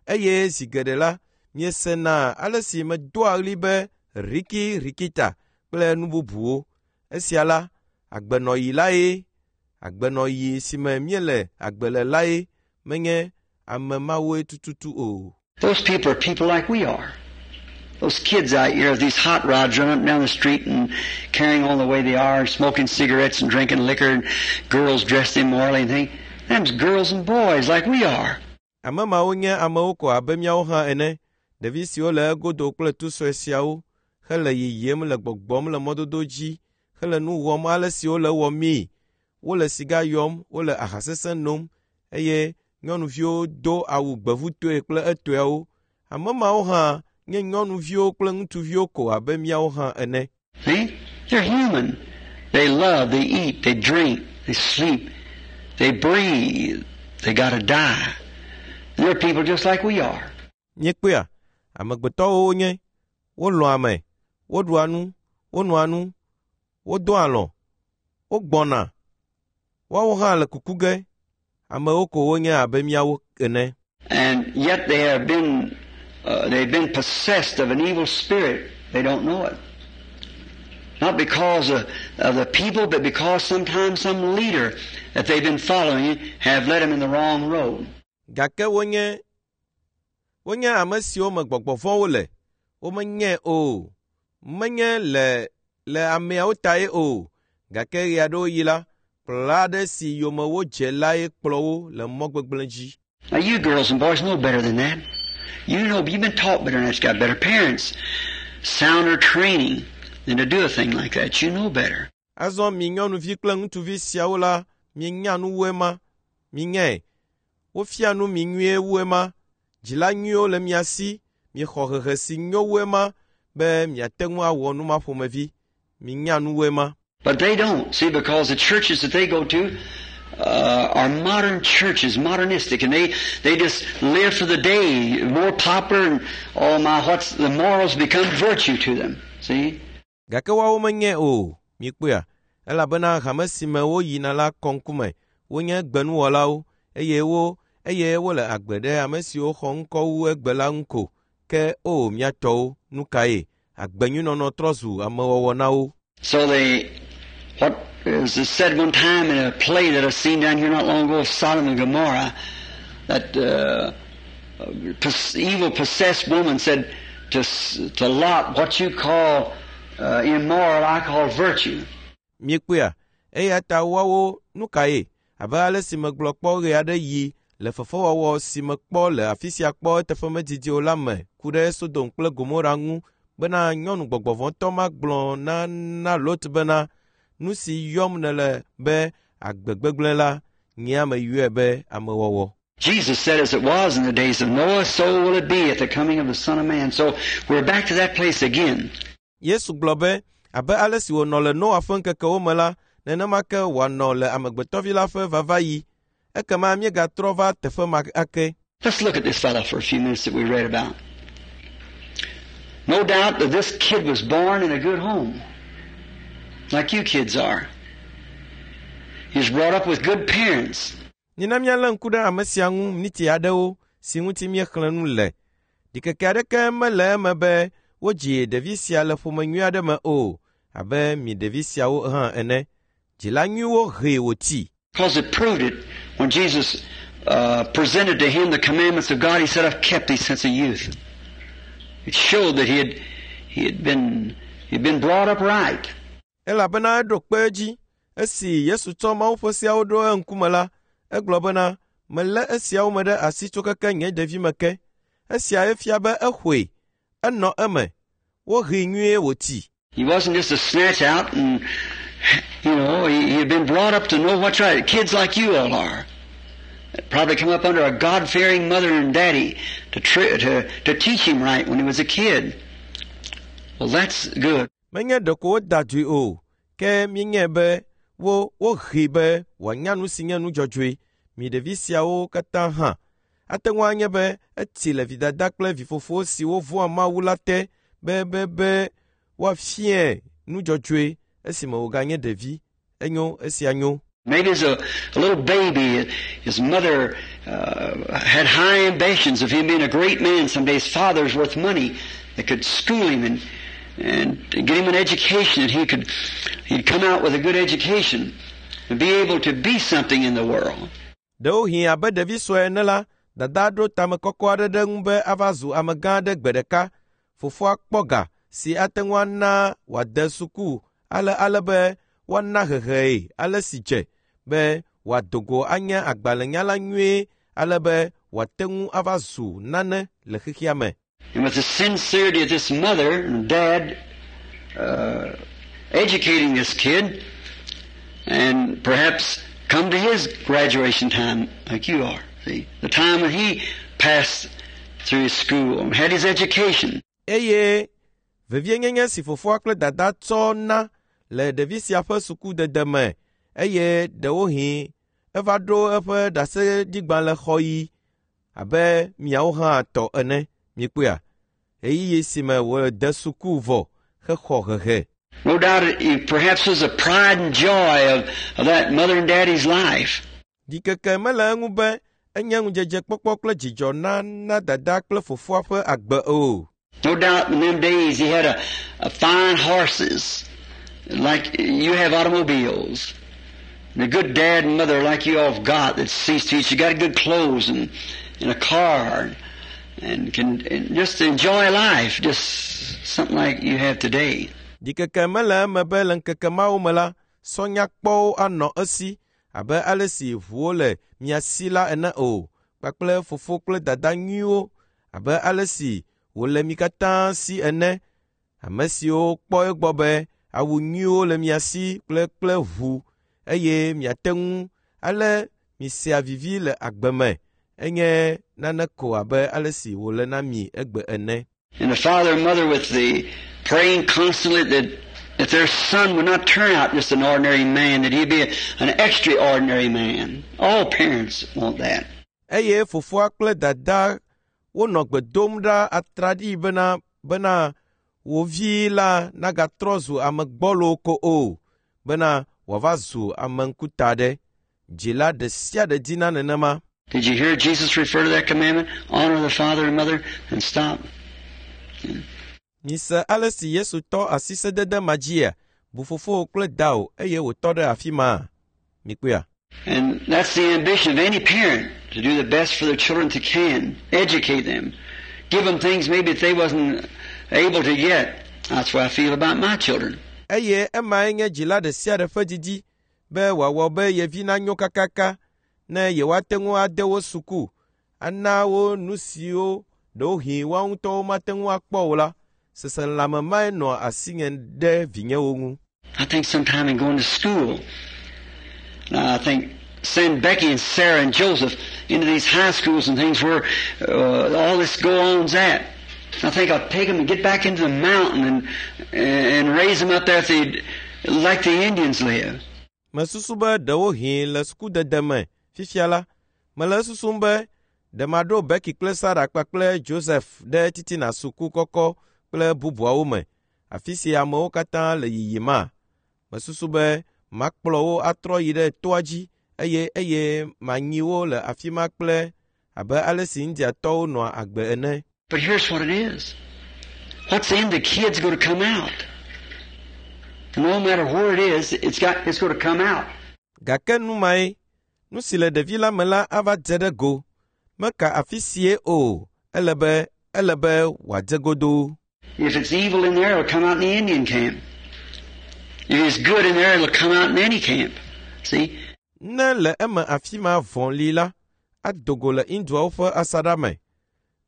eye zi geɖe la, miesena ale si medoa ɣli be Riki Rikita kple nu bubuwo. Esia la, agbenɔɣi lae, agbenɔɣi si me míele agbe le lae, menye ame mawoe tututu o. Those people are people like we are. Those kids out here with these hot rods running up down the street and carrying on the way they are, smoking cigarettes and drinking liquor, and girls dressed immorally and things. Them's girls and boys like we are. Ame mawo nye amewo ko abe míawo hã ene. Ɖevi siwo le egodo kple tu sue siawo hele yiyim le gbɔgbɔm le mɔdodo dzi hele nu wɔm ale si wole wɔmii. Wole siga yɔm, wole aha sesẽ nom eye nyɔnuviwo do awu gbevutoe kple etɔewo. Ame mawo hã nye nyɔnuviwo kple ŋutsuviwo ko abe míawo hã ene. See? They're human. They love, they eat, they drink, they sleep, they breathe. They got to die. They're people just like we are. Míekpɔea, amegbetɔwo wonye. Wolɔ̃a ame, woɖua nu, wonoa nu, wodoa alɔ̃, wogbɔna. Woawo hã le kuku ge. Amewo ko wonye abe míawo ene. And yet they have been they've been possessed of an evil spirit. They don't know it. Not because of the people, but because sometimes some leader that they've been following have led them in the wrong road. Gake wonye wonye ame siwo me gbɔgbɔ vɔ̃wo le. Womenyae o. Menye le le ameawo tae o. Gake ɣe aɖewo ɣi la, kplɔla aɖe si yome wodze lae kplɔ wo le mɔ gbegblẽ dzi. Now you girls and boys know better than that. You know, you've been taught better than that. You've got better parents, sounder training than to do a thing like that. You know better. Azɔ mi nyɔnuvi kple ŋutsuvi siawo la, mienya nu wu ema. Minyae. Wofia nu mi nyuie wu ema. Dzila nyuiwo le mia si. Miexɔ hehe si nyo wu ema be miate ŋu awɔ nu ma ƒomevi. Minya nu wu ema. But they don't. See, because the churches that they go to are modern churches, modernistic, and they just live for the day, more popular, and oh my, what's the morals become virtue to them. See? Gake woawo menyae o. Mikpɔea, elabena hame si me woyina la kɔ ŋkume. Wonye gbenuwɔlawo eye wo eye wole agbe ɖe ame siwo xɔ ŋkɔ wu egbe la ŋu ko. Ke o mía tɔwo, nu kae? Agbenyuinɔnɔ trɔ zu amewɔwɔ na wo. So they, what is said one time in a play that I've seen down here not long ago of Sodom and Gomorrah, that evil possessed woman said to Lot, what you call immoral, I call virtue. Miekpɔea, eya ta woawo nu kae? Abe ale si megblɔ kpɔ ɣe aɖe yi le fefewɔwɔ si mekpɔ le afi sia kpɔ eteƒe medidi o la me ku ɖe Sodom kple Gomora ŋu bena nyɔnu gbɔgbɔvɔ̃tɔ ma gblɔ na na Lot bena nu si yɔm nèle be agbe gbegblẽ la, nye ame yɔe be amewɔwɔ. Jesus said, as it was in the days of Noah, so will it be at the coming of the Son of Man. So we're back to that place again. Yesu gblɔ be abe ale si wònɔ le Noa ƒe ŋkekewo me la, nenema ke wòanɔ le amegbetɔvi la ƒe vavaɣi. Ekema míegatrɔ va teƒe ma ake. Let's look at this fellow for a few minutes that we read about. No doubt that this kid was born in a good home, like you kids are. He was brought up with good parents. Mina míalé ŋku ɖe ame sia ŋu miniti aɖewo si ŋuti míexlẽ nu le. Ɖikeke aɖeke mele eme be wodzi ɖevi sia le ƒome nyui aɖe me o, abe mi ɖevi siawo hã ene. Dzila nyuiwo hee wòtsi. Because it proved it when Jesus presented to him the commandments of God, he said, I've kept thee since a youth. It showed that he had been brought up right. Elabena eɖo kpe edzi esi Yesu tsɔ Mawu ƒe seawo ɖo eŋkume la, egblɔ bena, melé esiawo me ɖe asi tso keke nye ɖevime ke. Esia efia be exɔe, enɔ eme, wohee nyuie wòtsi. He wasn't just a snatch out and, you know, he had been brought up to know what's right. Kids like you all are. Probably come up under a God-fearing mother and daddy to teach him right when he was a kid. Well, that's good. Menye ɖeko woda dui o, Ke míenyae be wo wohee be wòanya nu si nye nu dzɔdzɔe. Mi ɖevi siawo katã hã. Ate ŋu anye be etsi le vidada kple vifofo siwo vɔ̃a Mawu la te be be be woafiae nu dzɔdzɔe esime wòganye ɖevi. Enyo esia nyo. Maybe as a little baby, his mother had high ambitions of him being a great man someday. His father's worth money that could school him and get him an education, and he'd come out with a good education and be able to be something in the world. Ɖewohĩ abe ɖevi sue ene la, dada ɖo tame kɔkɔ aɖe ɖe eŋu be ava zu amegã aɖe gbe ɖeka. Fofoa kpɔ ga si ate ŋu ana wòade suku ale be woana hehee ale si dze be wòado go anye agbalẽnyala nyuie ale be wòate ŋu ava zu nane le xexea me. And with the sincerity of this mother and dad educating this kid, and perhaps come to his graduation time like you are, see, the time when he passed through his school and had his education. Eye vevienyenye si fofoa kple dada tsɔ na le ɖevi sia ƒe sukudede me eye ɖewohĩ eva ɖo eƒe ɖaseɖigbalẽxɔɣi abe miawo hã tɔ ene. Mikpɔea? Ɣeyiɣi si me wòde suku vɔ hexɔ hehe. No doubt it perhaps was a pride and joy of that mother and daddy's life. Ɖikeke mele eŋu be enye ŋudzedzekpɔkpɔ kple dzidzɔ na dada kple fofoa ƒe agbe o. No doubt in them days he had a fine horses, like you have automobiles. And a good dad and mother like you all have got that sees to you. You got good clothes and a car and can and just enjoy life, just something like you have today. Ɖikeke mele eme be le ŋkeke mawo me la, sɔnyakpɔwo anɔ esi abe ale si ʋuwo le mia si la ene o, kpakple fofo kple dada nyuiwo abe ale si wòle mi katã si ene. Ame siwo kpɔ egbɔ be awu nyuiwo le mia si kple ʋu eye miate ŋu ale misea vivi le agbe me. Enye nane ko abe ale si wòle na mi egbe ene. And the father and mother with the praying constantly that their son would not turn out just an ordinary man, that he'd be an extraordinary man. All parents want that. Eye fofoa kple dada wonɔ gbe dom ɖa atraɖii bena wo vi la nagatrɔ zu ame gbɔlo ko o, bena wòava zu ame ŋkuta ɖe. Dzila ɖe sia ɖe dina nenema. Did you hear Jesus refer to that commandment? Honor the father and mother and stop. Mise ale si Yesu tɔ asi sedede ma dzia, bu fofowò kple dawò eye wòtɔ ɖe afi ma. Mikpɔea? And that's the ambition of any parent, to do the best for their children they can, educate them, give them things maybe that they wasn't able to get. That's what I feel about my children. Eye emae nye dzila ɖe sia ɖe ƒe didi be wòawɔ be ye vi nanyo kakaka ne yewoate ŋu ade wo suku, ana wo nu siwo ɖewohĩ woawo ŋutɔwo mate ŋu akpɔ o la. Seselãme mae nɔa asinye ɖe vinyewo ŋu. I think sometime in going to school, I think send Becky and Sarah and Joseph into these high schools and things where all this go-on's at. I think I'll take them and get back into the mountain and raise them up there if they'd like the Indians live. Mesusu be ɖewohĩ le sukudede me fifia la, mele susum be ɖe maɖo Becky kple Sarah kpakple Joseph ɖe titina suku kɔkɔ kple bubuawo me, afi si amewo katã le yiyima. Mesusu be makplɔ wo atrɔ yi ɖe toa dzi eye manyi wo le afi ma kple abe ale si Indiatɔwo nɔa agbe ene. But here's what it is. What's in the kid's going to come out. No matter where it is, it's going to come out. Gake nu mae, nu si le ɖevi la me la ava dze ɖe go. Meka afi sie o, ele be wòadze godoo. If it's evil in there, it'll come out in the Indian camp. If it's good in there, it'll come out in any camp. See? Ne le eme afi ma vɔ̃ li la, ado go le Indiawo ƒe asaɖa me.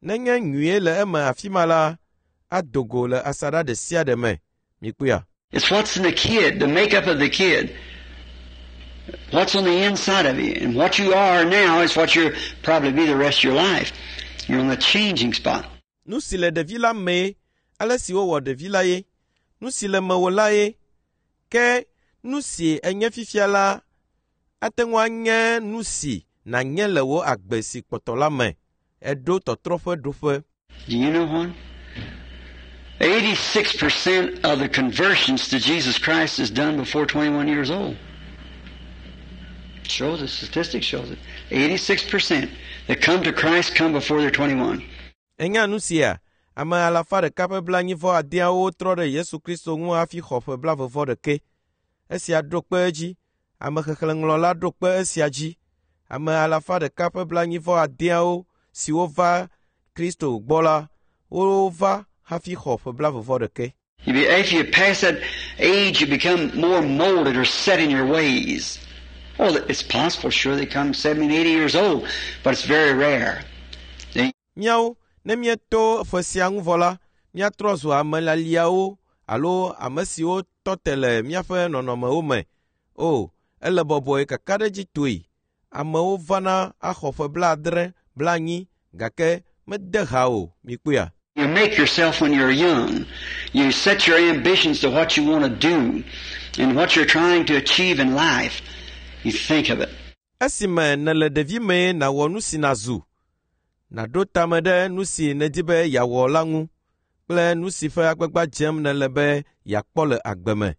Nenye nyuie le eme afi ma la, ado go le asaɖa ɖe sia ɖe me. Mikpɔea? It's what's in the kid, the makeup of the kid. What's on the inside of you. And what you are now is what you'll probably be the rest of your life. You're on the changing spot. Nu si le ɖevi la mee, ale si wowɔ ɖevi la ye. Nu si le mewò la ye. Ke Nu si enye fifia la ate ŋu anye nu si nànye le wò agbe si kpɔtɔ la me. Eɖo tɔtrɔ ƒe ɖoƒe. Do you know what? 86% of the conversions to Jesus Christ is done before 21 years old. Shows it, statistics shows it. 86% that come to Christ come before they're 21. Enya nu sia, ame alafa ɖeka ƒe blaenyi-vɔ-adeawo trɔ ɖe Yesu Kristo ŋu hafi xɔ ƒe blaeve-vɔ-ɖekɛ. Esia ɖo kpe edzi. Amexexlẽŋlɔla ɖo kpe esia dzi. Ame alafa ɖeka ƒe blaenyi-vɔ-adeawo siwo va Kristo gbɔ la, wova hafi xɔ ƒe blaeve-vɔ-ɖekɛ. You be, after you pass that age, you become more molded or set in your ways. Well, it's possible, sure, they come 70 and 80 years old, but it's very rare. They, Míawo, ne míeto ƒe sia ŋu vɔ la, míatrɔ zu ame laliawo alo ame siwo tɔ te le míaƒe nɔnɔmewo me. O, ele bɔbɔe kakaɖedzitɔe. Amewo vana axɔ ƒe blaadre, blaenyi, gake mede ha o, mikpɔea. you make yourself when you're young. You set your ambitions to what you want to do and what you're trying to achieve in life. You think of it. Esime nèle ɖevimee nàwɔ nu si nàzu, nàɖo tame ɖe nu si nèdi be yeawɔ la ŋu kple nu si ƒe agbagba dzem nèle be yeakpɔ le agbe me.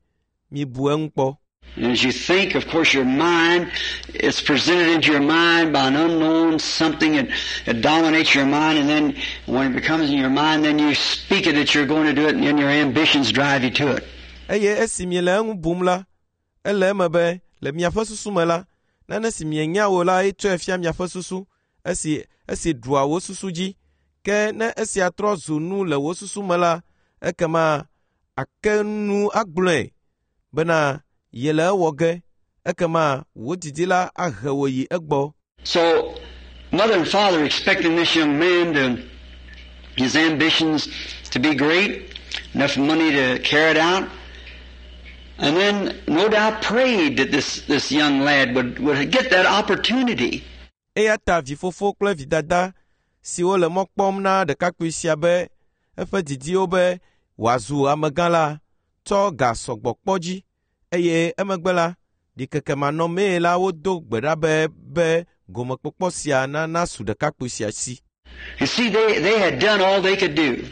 Mibu eŋu kpɔ. And as you think, of course, your mind is presented into your mind by an unknown something that, that dominates your mind, and then when it becomes in your mind, then you speak it that you're going to do it, and then your ambitions drive you to it. Eye esi miele eŋu bum la, ele eme be le miaƒe susu me la, nane si mienya o la etsɔe fia miaƒe susu esi esi ɖua wò susu dzi. Ke ne esia trɔ zu nu le wò susu me la, ekema ake nu agblɔe bena yele ewɔ ge. Ekema wò didi la ahe wò yi egbɔ. So, mother and father expecting this young man to, his ambitions to be great, enough money to carry it out, and then no doubt prayed that this, this young lad would, would get that opportunity. Eya ta vifofo kple vidada siwo le mɔ kpɔm na ɖekakpui sia be eƒe didiwo be wòazu amegã la tsɔ ga sɔgbɔ kpɔ dzi eye emegbe la ɖikeke manɔmee la wodo gbe ɖa be be gomekpɔkpɔ sia nana su ɖekakpui sia si. You see, they, they had done all they could do.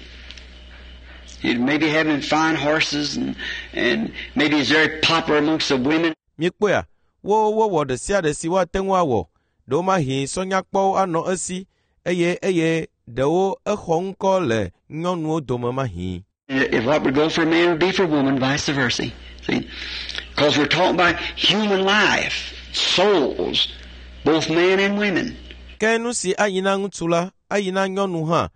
He'd maybe having fine horses and, and maybe he's very popular amongst the women. Míekpɔea, wo wowɔ ɖe sia ɖe si woate ŋu awɔ. Ɖewomahi sɔnyakpɔwo anɔ esi eye eye ɖewo exɔ ŋkɔ le nyɔnuwo dome mahi. If what would go for a man would be for a woman, vice versa. See? Because we're talking about human life, souls, both men and women. Ke nu si ayi na ŋutsu la, ayi na nyɔnu hã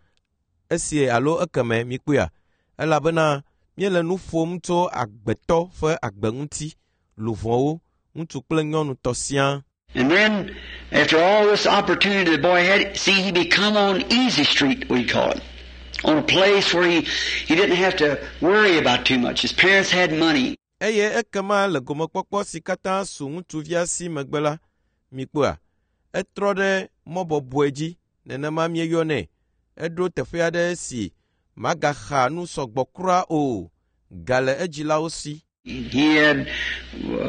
esi alo ekeme mikpɔea, elabena míele nu ƒom tso agbetɔ ƒe agbe ŋuti, luʋɔwo, ŋutsu kple nyɔnu tɔ siaa. And then, after all this opportunity the boy had, see, he become on easy street, we call it. On a place where he, he didn't have to worry about too much. His parents had money. Eye ekema le gomekpɔkpɔ si katã su ŋutsuvia si megbe la, mikpɔa, etrɔ ɖe mɔ bɔbɔe dzi, nenema míeyɔnɛ. Eɖo teƒe aɖe si magaxa nu sɔgbɔ kura o, ga le edzilawo si. He had,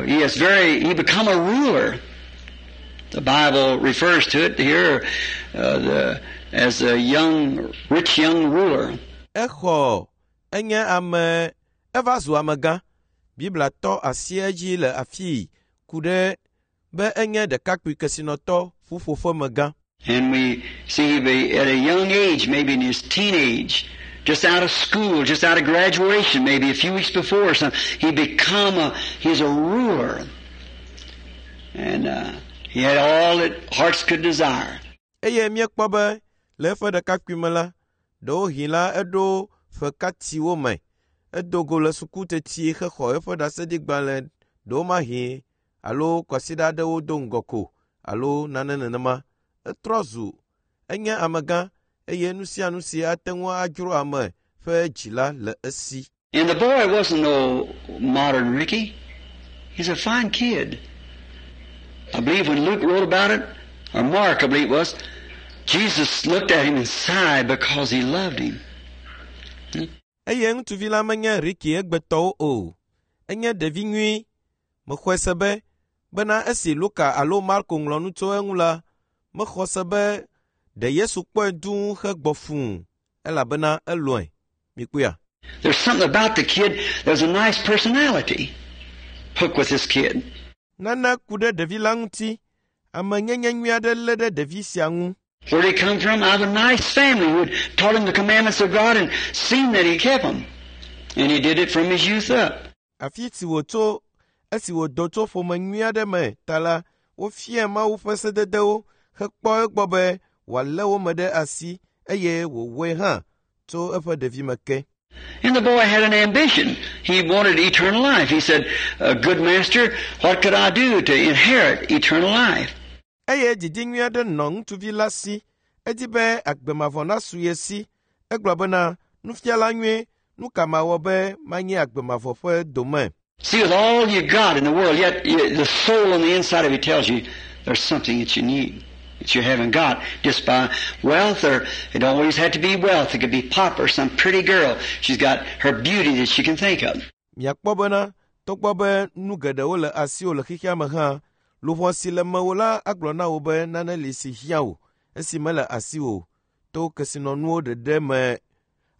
he is very, he become a ruler. The Bible refers to it here the, as a young, rich young ruler. Exɔ enye ame eva zu amegã. Biblia tɔ asi edzi le afii ku ɖe be enye ɖekakpui kesinɔtɔ ƒuƒoƒemegã. And we see he be at a young age, maybe in his teenage, just out of school, just out of graduation, maybe a few weeks before or something, he become a, he's a ruler. And he had all that hearts could desire. Eye míekpɔ be le eƒe ɖekakpui me la, ɖewohĩ la eɖo ƒekatiwo me. Edo go le suku teti hexɔ eƒe ɖaseɖigbalẽ ɖewomahi alo kwasiɖa aɖewo do ŋgɔ ko alo nane nenema. Etrɔ zu enye amegã eye nu sia nu si ate ŋu adzro ame ƒe dzi la le esi. And the boy wasn't no modern Ricky. He's a fine kid. I believe when Luke wrote about it, or Mark, I believe it was, Jesus looked at him and sighed because he loved him. Eye ŋutsuvi la menye Ricky egbetɔwo o. Enye ɖevi nyui. Mexɔe se be bena esi Luka alo Marko ŋlɔ nu tso eŋu la, mexɔ se be ɖe Yesu kpɔe dũu hegbɔ fũu elabena elɔ̃e. Mikpɔea? There's something about the kid. There's a nice personality hooked with this kid. Nane ku ɖe ɖevi la ŋuti. Amenyenye nyui aɖe lé ɖe ɖevi sia ŋu. Where'd he come from? Out of a nice family who had taught him the commandments of God and seen that he kept them. And he did it from his youth up. Afi si wòtso esi wòdo tso ƒome nyui aɖe me ta la, wofiae Mawu ƒe sededewo hekpɔ egbɔ be wòalé wo me ɖe asi eye wòwɔe hã tso eƒe ɖevime ke. And the boy had an ambition. He wanted eternal life. He said, "Good master, what could I do to inherit eternal life?" Eye didi nyui aɖe nɔ ŋutsuvi la si. Edi be agbe mavɔ nasu ye si. Egblɔ bena, nufiala nyui, nu ka mawɔ be manyi agbe mavɔ ƒe dome? See, with all you got in the world, yet the soul on the inside of you tells you there's something that you need, that you haven't got just by wealth, or it always had to be wealth. It could be pop or some pretty girl. She's got her beauty that she can think of. Miakpɔ bena, togbɔ be nu geɖewo le asiwò le xexea me hã, luʋɔ si le mewò la agblɔ na wò be nane li si hiã wò esi mele asiwò to kesinɔnuwo ɖeɖe me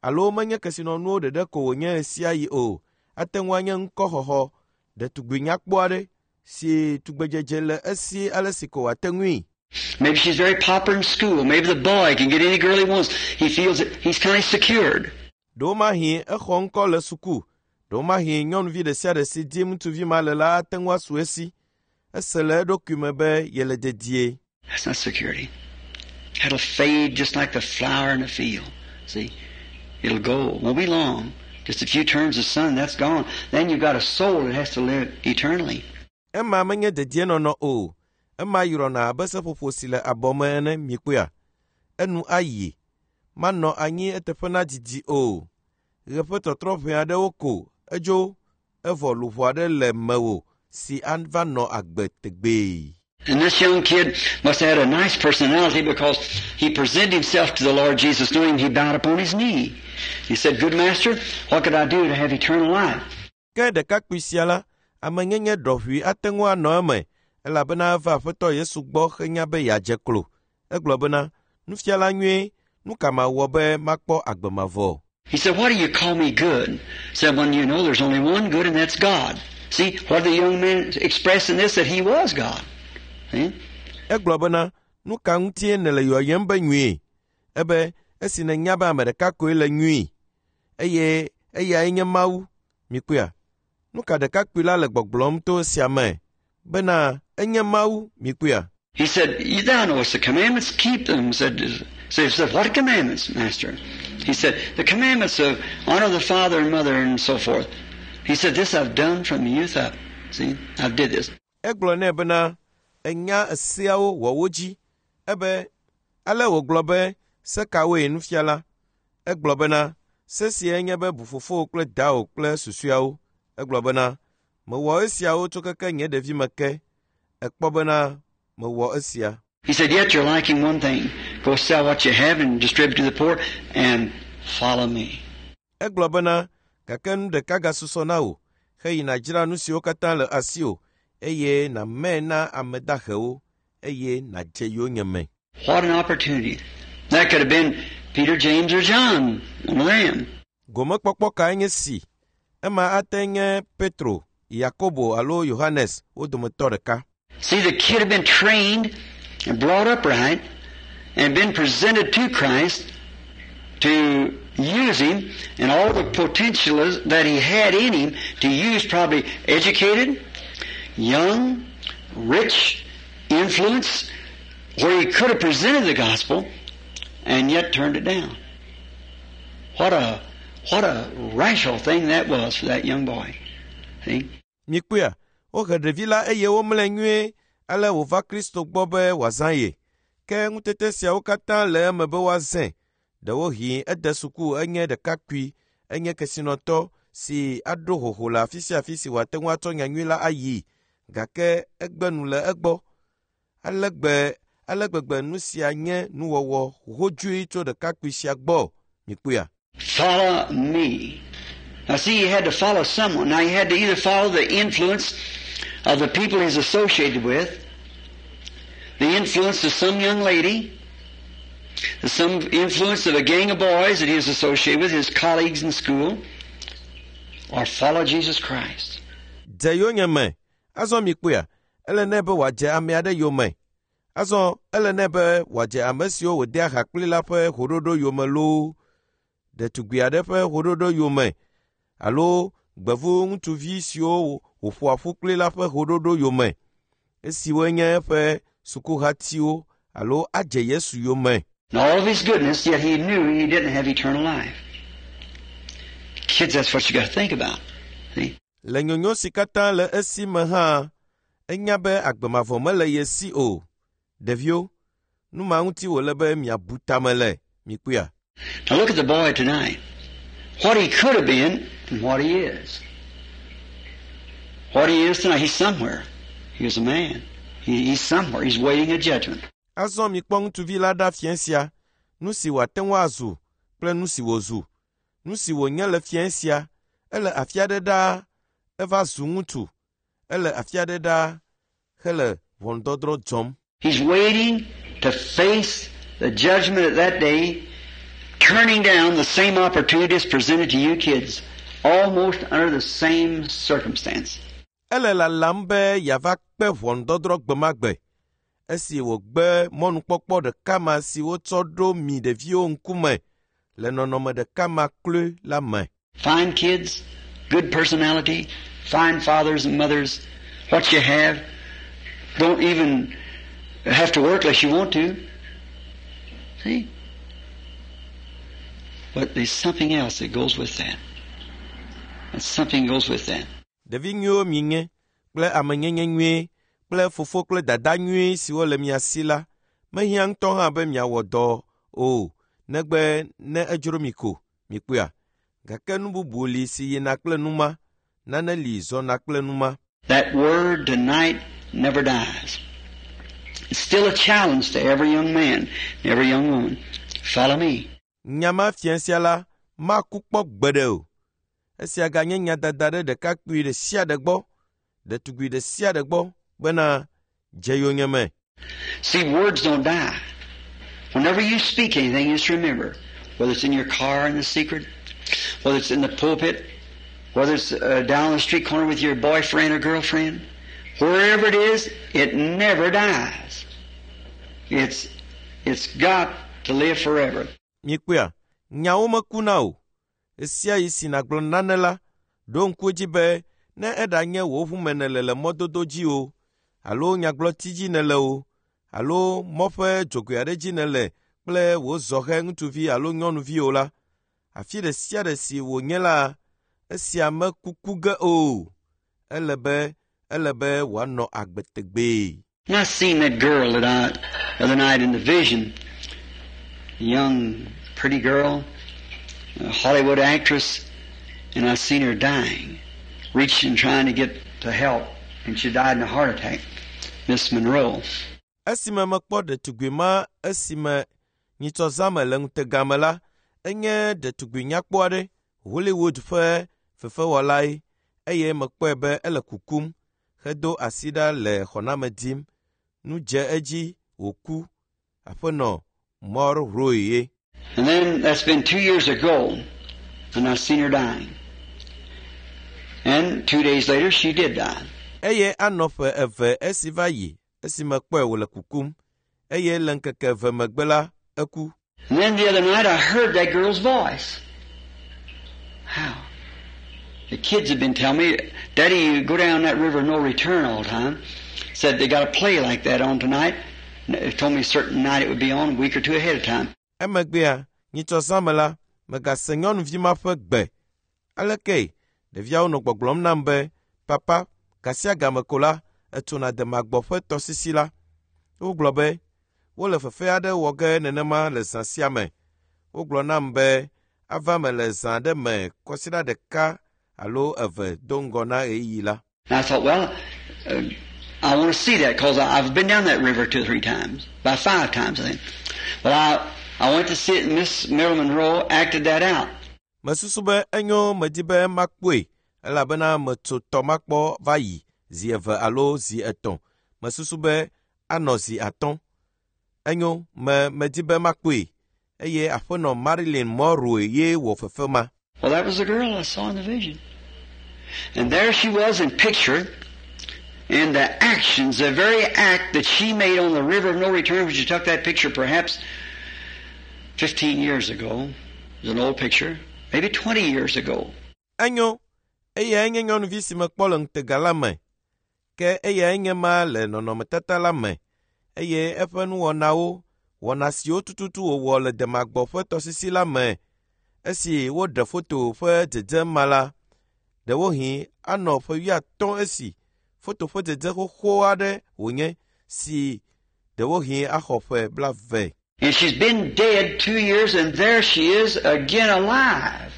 alo menye kesinɔnuwo ɖeɖe ko wònye ɣe o. Ate ŋu anye ŋkɔxɔxɔ, ɖetugbi nyakpɔ aɖe si tugbedzedze le esi ale si ko wòate ŋui. Maybe she's very popular in school. Maybe the boy can get any girl he wants. He feels that he's kind of secured. Ɖewomahi exɔ ŋkɔ le suku. Ɖewomahi nyɔnuvi ɖe sia ɖe si dim ŋutsuvi ma le la ate ŋu asu esi. Ese le eɖokui me be yele dedie. That's not security. That'll fade just like the flower in the field. See? It'll go. Won't be long. Just a few turns of sun, that's gone. Then you've got a soul that has to live eternally. Ema menye dedienɔnɔ o. Ema yrɔna abe seƒoƒo si le abɔ me ene mikpɔea. Enu ayi. Manɔ anyi eteƒe nadidi o. Ɣe ƒe tɔtrɔ ʋɛ aɖewo ko edzo evɔ luʋɔ aɖe le mewò si ava nɔ agbe tegbee. And this young kid must have had a nice personality because he presented himself to the Lord Jesus knowing he bowed upon his knee. He said, "Good master, what could I do to have eternal life?" Ke ɖekakpui sia la, amenyenye ɖɔʋui ate ŋu anɔ eme elabena eva Aƒetɔ Yesu gbɔ henya be yeadze klo. Egblɔ bena, nufiala nyui, nu ka mawɔ be makpɔ agbe mavɔ? He said, "Why do you call me good?" He said, "When you know there's only one good, and that's God." See, what the young man expressed in this, that he was God. See? Egblɔ bena, nu ka ŋutie nèle yɔyem be nyui? Ebe esi nènya be ame ɖeka koe le nyui eye eyae nye Mawu. Mikpɔea? Nu ka ɖekakpui la le gbɔgblɔm to esia me? Bena enye Mawu. Mikpɔea? He said, "Thou knowest the commandments, keep them." So he said, "What commandments, Master?" He said, "The commandments of honor the father and mother and so forth." He said, "This I've done from youth up. See, I've did this." Egblɔ nɛ bena, enya eseawo wɔ wo dzi. Ebe ale wògblɔ be se kawoe nufiala? Egblɔ bena se siae nye be bu fofowò kple dawò kple susɔeawo. Egblɔ bena mewɔ esiawo tso keke nye ɖevime ke. Ekpɔ bena mewɔ esia. He said, "Yet you're lacking one thing. Go sell what you have and distribute to the poor and follow me." Egblɔ bena gake nu ɖeka gasusɔ na wò heyi nàdzra nu siwo katã le asiwò eye nàmɛ na ame dahewo eye nàdze yonyeme. What an opportunity. That could have been Peter, James, or John, one of them. Gomekpɔkpɔ kae nye si? Ema ate nye Petro, Yakobo alo Yohanes wo dometɔ ɖeka. See, the kid had been trained and brought up right and been presented to Christ to use him and all the potential that he had in him to use, probably educated, young, rich, influence, where he could have presented the gospel and yet turned it down. What a rational thing that was for that young boy. See? Mikpɔea, wohe ɖevi la eye womlɔe nyuie ale wòva Kristo gbɔ be wòazã ye. Ke ŋutete siawo katã le eme be woazãe. Ɖewohĩ ede suku enye ɖekakpui, enye kesinɔtɔ si aɖo hoho le afi sia afi si wòate ŋu atsɔ nyanyui la ayi gake egbe nu le egbɔ. Ale gbegbe nu sia nye nuwɔwɔ hodzoe tso ɖekakpui sia gbɔ. Mikpɔea? Follow me. Now see, he had to follow someone. Now he had to either follow the influence of the people he's associated with, the influence of some young lady, some influence of a gang of boys that he is associated with, his colleagues in school, or follow Jesus Christ. Dze yonyeme. Azɔ mikpɔea, ele nɛ be wòadze ame aɖe yome. Azɔ ele nɛ be wòadze ame siwo wòdea ha kpli la ƒe hoɖoɖo yome loo, ɖetugbi aɖe ƒe hoɖoɖo yome alo gbevu ŋutsuvi siwo wòƒoa ƒu kpli la ƒe hoɖoɖo yome, esiwoe nye eƒe sukuhatiwo alo adze Yesu yome. In all of his goodness, yet he knew he didn't have eternal life. Kids, that's what you got to think about. See? Le nyonyo si katã le esi me hã, enya be agbe mavɔ mele ye si o. Ɖeviwo, nu ma ŋuti wòle be miabu tame le, mikpɔea? Now look at the boy tonight. What he could have been and what he is. What he is tonight, he's somewhere. He is a man. He's somewhere. He's waiting a judgment. Azɔ mikpɔ ŋutsuvi la ɖa fiẽ sia, nu si wòate ŋu azu kple nu si wòzu. Nu si wònye le fiẽ sia, ele afi aɖe ɖaa, eva zu ŋutsu. Ele afi aɖe ɖaa hele ʋɔnudɔdrɔ̃ dzɔm. He's waiting to face the judgment at that day, turning down the same opportunities presented to you kids, almost under the same circumstance. Ele lalam be yeava kpe ʋɔnudɔdrɔ̃ gbe ma gbe, esi wògbe mɔnukpɔkpɔ ɖeka ma si wotsɔ ɖo mi ɖeviwo ŋkume le nɔnɔme ɖeka ma kloe la me. Fine kids, good personality, fine fathers and mothers. What you have, don't even have to work unless you want to. See? But there's something else that goes with that. And something goes with that. Ɖevi nyuiwo mienye kple amenyenye nyuie kple fofo kple dada nyuie siwo le mia si la, mehiã ŋutɔ hã be miawɔ dɔ o, negbe ne edzro mi ko, mikpɔea? Gake nu bubu li si yina kple nu ma, nane li zɔna kple nu ma. That word tonight never dies. It's still a challenge to every young man and every young woman. Follow me. Nya ma fiẽ sia la maku kpɔ gbeɖe o. Esia ganye nyadada ɖe ɖekakpui ɖe sia ɖe gbɔ, ɖetugbi ɖe sia ɖe gbɔ bena dze yonyeme. See, words don't die. Whenever you speak anything, just remember, whether it's in your car in the secret, whether it's in the pulpit, whether it's down the street corner with your boyfriend or girlfriend, wherever it is, it never dies. It's got to live forever. Mikpɔea, nyawo mekuna o. Esia yi si nàgblɔ nane la, ɖo ŋku edzi be ne eɖanye wò ʋume nèle le mɔdodo dzi o, alo nyagblɔti dzi nèle o, alo mɔ ƒe dzogoe aɖe dzi nèle kple wò zɔhɛ ŋutsuvi alo nyɔnuvi o la, afi ɖe sia ɖe si wònye la, esia mekuku ge o. Ele be ele be wòanɔ agbe tegbee. And I seen that girl that I, the other night in the vision, a young, pretty girl, a Hollywood actress, and I seen her dying, reaching, trying to get to help, and she died in a heart attack, Miss Monroe. Esime mekpɔ ɖetugbi ma esime nyitsɔzãme le ŋutega me la, enye ɖetugbi nyakpɔ aɖe, Hollywood ƒe fefewɔlae, eye mekpɔe be ele kukum hedo asi ɖa le xɔname dim. Nu dze edzi wòku. Aƒenɔ Monroe ye. And then that's been 2 years ago, and I seen her dying. And 2 days later, she did die. Eye anɔ ƒe eve esi va yi esi mekpɔe wòle kukum. Eye le ŋkeke eve megbe la, eku. And then the other night, I heard that girl's voice. How? The kids have been telling me, Daddy, you go down that river no return all the time. Said they got a play like that on tonight. They told me a certain night it would be on, a week or two ahead of time. Emegbea, nyitsɔzãme la, megase nyɔnuvi ma ƒe gbe. Aleke ɖeviawo nɔ gbɔgblɔm nam be, Papa, gasiagame ko la, etsona demagbɔ ƒe tɔsisi la. Wogblɔ be, wole fefe aɖe wɔ ge nenema le zã sia me. Wogblɔ nam be, ava me le zã aɖe me kɔsiɖa ɖeka alo eve do ŋgɔ na ɣeyiɣi la. And I thought, well, I want to see that because I've been down that river 2 or 3 times, about 5 times, I think. Well, I went to see it, and Miss Marilyn Monroe acted that out. Mesusu be enyo medi be makpɔe elabena metso tɔ makpɔ va yi zi 2 alo zi 3. Mesusu be anɔ zi 5. Enyo, medi be makpɔe. Eye aƒenɔ Marilyn Monroe ye wɔ fefe ma. Well, that was the girl I saw in the vision. And there she was in picture, and the actions, the very act that she made on the River of No Return, which you took that picture perhaps 15 years ago. It was an old picture, maybe 20 years ago. Enyo, eyae nye nyɔnuvi si mekpɔ le ŋutega la me. Ke eyae nye ma le nɔnɔmetata la me. Eye eƒe nuwɔnawo, wɔna siwo tututu wòwɔ le demagbɔ ƒe tɔsisi la me, esi woɖe foto ƒe dzedze ma la, ɖewohĩ anɔ ƒe 50 esi foto ƒe dzedze xoxo aɖe wònye si ɖewohĩ axɔ ƒe 20. And she's been dead 2 years, and there she is again alive.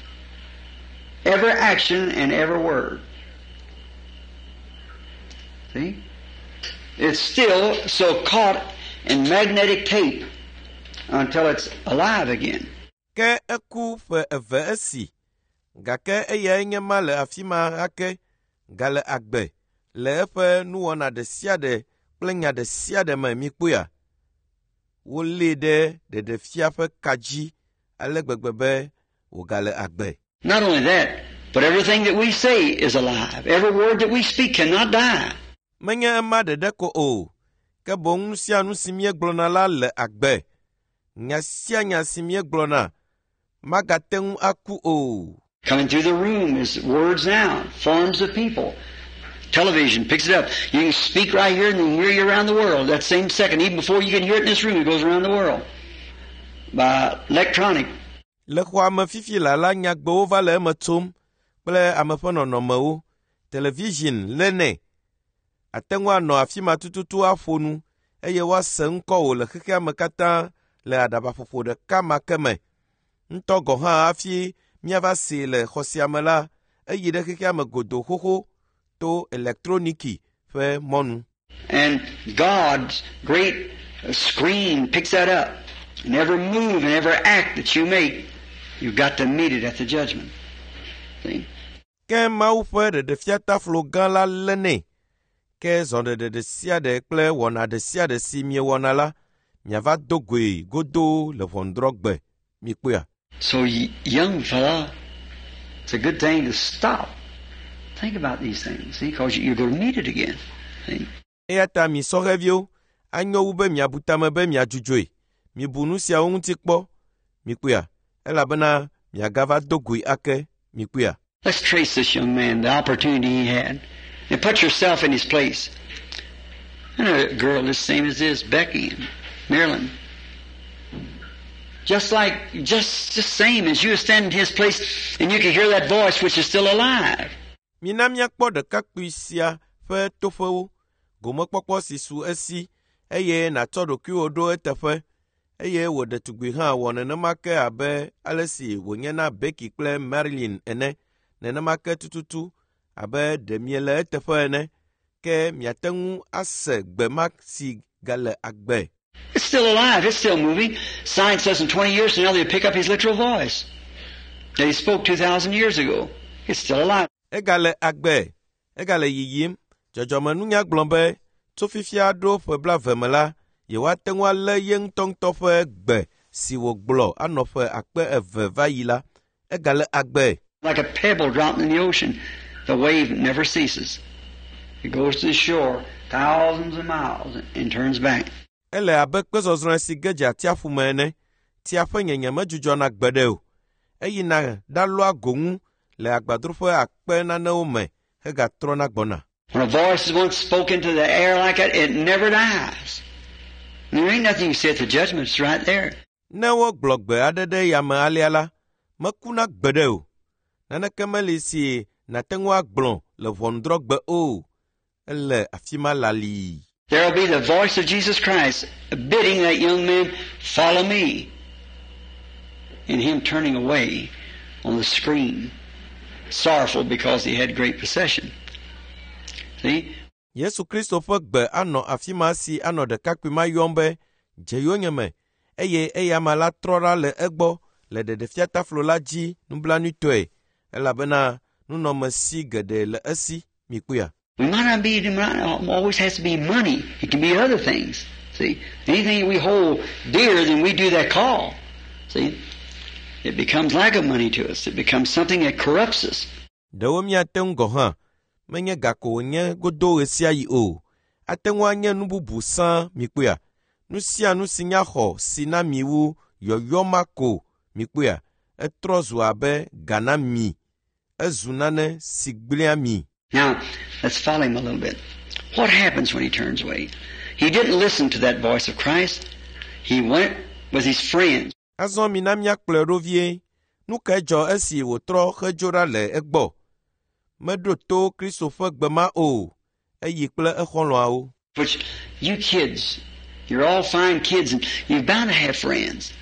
Every action and every word. See? It's still so caught in magnetic tape until it's alive again. Ke eku ƒe 2 esi, gake eyae nye ma le afi ma ake, gale agbe le eƒe nuwɔna ɖe sia ɖe kple nya ɖe sia ɖe me mikpɔea. Wolée ɖe ɖeɖefia ƒe ka dzi ale gbegbe be wògale agbe. Not only that, but everything that we say is alive. Every word that we speak cannot die. Menye ema ɖeɖe ko o, ke boŋ nu sia nu si míegblɔna la le agbe. Nya sia nya si míegblɔna magate ŋu aku o. Coming through the room is words now, forms of people. Television picks it up. You can speak right here and they hear you around the world. That same second, even before you can hear it in this room, it goes around the world by electronic. Le xɔa me fifi la la nyagbewo va le eme tsom kple ame ƒe nɔnɔmewo. Television lé nɛ. Ate ŋu anɔ afi ma tututu aƒo nu eye woase ŋkɔwò le xexea me katã le aɖabaƒoƒo ɖeka ma ke me. Ŋutɔ gɔ̃ hã hafi míava see le xɔ sia me la, eyi ɖe xexea me godoo xoxo to elektroniki ƒe mɔnu. And God's great screen picks that up. And every move and every act that you make, you've got to meet it at the judgment. See? Ke Mawu ƒe ɖeɖefiataflo gã la lé nɛ. Ke zɔɖeɖe ɖe sia ɖe kple wɔna ɖe sia ɖe si miewɔna la, miava do goe godoo le ʋɔnudrɔ̃gbe. Mikpɔea? So, young fella, it's a good thing to stop. Think about these things, see, because you're going to meet it again. See? Eya ta mi sɔhɛviwo, anyo wu be miabu tame be miadzudzɔe. Mibu nu siawo ŋuti kpɔ. Mikpɔea? Elabena miagava do goe ake. Mikpɔea? Let's trace this young man, the opportunity he had, and put yourself in his place. And a girl the same as this, Becky and Marilyn. Just like, just the same as you stand in his place and you can hear that voice which is still alive. Mina míakpɔ ɖekakpui sia ƒe toƒewo, gomekpɔkpɔ si su esi, eye nàtsɔ ɖokuiwò ɖo eteƒe, eye wò ɖetugbi hã wɔ nenema ke abe ale si wònye na Becky kple Marilyn ene, nenema ke tututu abe ɖe miele eteƒe ene, ke miate ŋu ase gbe ma si gale agbe. It's still alive. It's still moving. Science says in 20 years from now they'll pick up his literal voice that he spoke 2,000 years ago. It's still alive. Egale agbe, egale yiyim. Dzɔdzɔmenunya gblɔ be tso fifia ɖo ƒe 20 me la, yewoate ŋu alé ye ŋutɔŋutɔ ƒe gbe si wògblɔ anɔ ƒe 2000 va yi la. Egale agbe. Like a pebble dropped in the ocean, the wave never ceases. It goes to the shore thousands of miles and turns back. Ele abe kpezɔzrɔ̃e si ge dze atsiaƒu me ene. Tsia ƒe nyenye medzudzɔna gbeɖe o. Eyina ɖalɔa go ŋu le agbadroƒe akpe nanewo me hegatrɔna gbɔna. When a voice is once spoken to the air like that, it never dies. And there ain't nothing you say at the judgment, it's right there. Ne wogblɔ gbe aɖe ɖe yame alea la, mekuna gbeɖe o. Naneke meli si nàte ŋu agblɔ le ʋɔnudrɔ̃gbe o. Ele afi ma lalii. There will be the voice of Jesus Christ bidding that young man, follow me. And him turning away on the screen, sorrowful because he had great possession. See? Yesu Kristo ƒe gbe anɔ afi ma si anɔ ɖekakpui ma yɔm be dze yonyeme eye eyama la trɔ ɖa le egbɔ le ɖeɖefiataflo la dzi nublanuitɔe elabena nunɔmesi geɖe le esi mikpɔea. We might not be, it might not always has to be money. It can be other things. See? Anything that we hold dear, then we do that call. See? It becomes like a money to us. It becomes something that corrupts us. Ɖewo míate ŋu gɔ̃ hã menye ga ko wònye godo ɣe sia ɣi o. Ate ŋu anye nu bubu sãa mikpɔea. Nu sia nu si nya xɔ si na mi wu yɔyɔ ma ko mikpɔea. Etrɔ zu abe ga na mi. Ezu nane si gblẽa mi. Now, let's follow him a little bit. What happens when he turns away? He didn't listen to that voice of Christ. He went with his friends. Azɔ mina míakplɔe ɖo vie. Nu kae dzɔ esi wòtrɔ hedzo ɖa le egbɔ? Meɖo to Kristo ƒe gbe ma o. Eyi kple exɔlɔ̃awo. Which you kids, you're all fine kids and you're bound to have friends.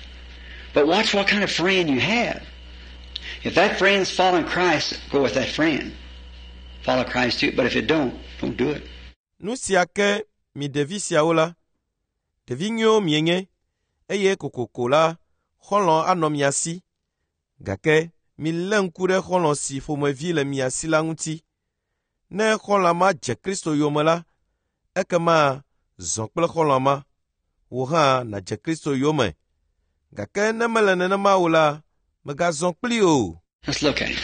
But watch what kind of friend you have. If that friend's following Christ, go with that friend. Follow Christ too. But if it don't, don't do it. Nu sia ke mi ɖevi siawo la, ɖevi nyuiwo mienye eye kokoko la, xɔlɔ̃ anɔ mia si. Gake milé ŋku ɖe xɔlɔ̃ si ƒomevi le mia si la ŋuti. Ne xɔlɔ̃a ma dze Kristo yome la, ekema zɔ kple xɔlɔ̃a ma. Wò hã nàdze Kristo yome. Gake ne mele nenema o la, mègazɔ kplii o. Let's look at him.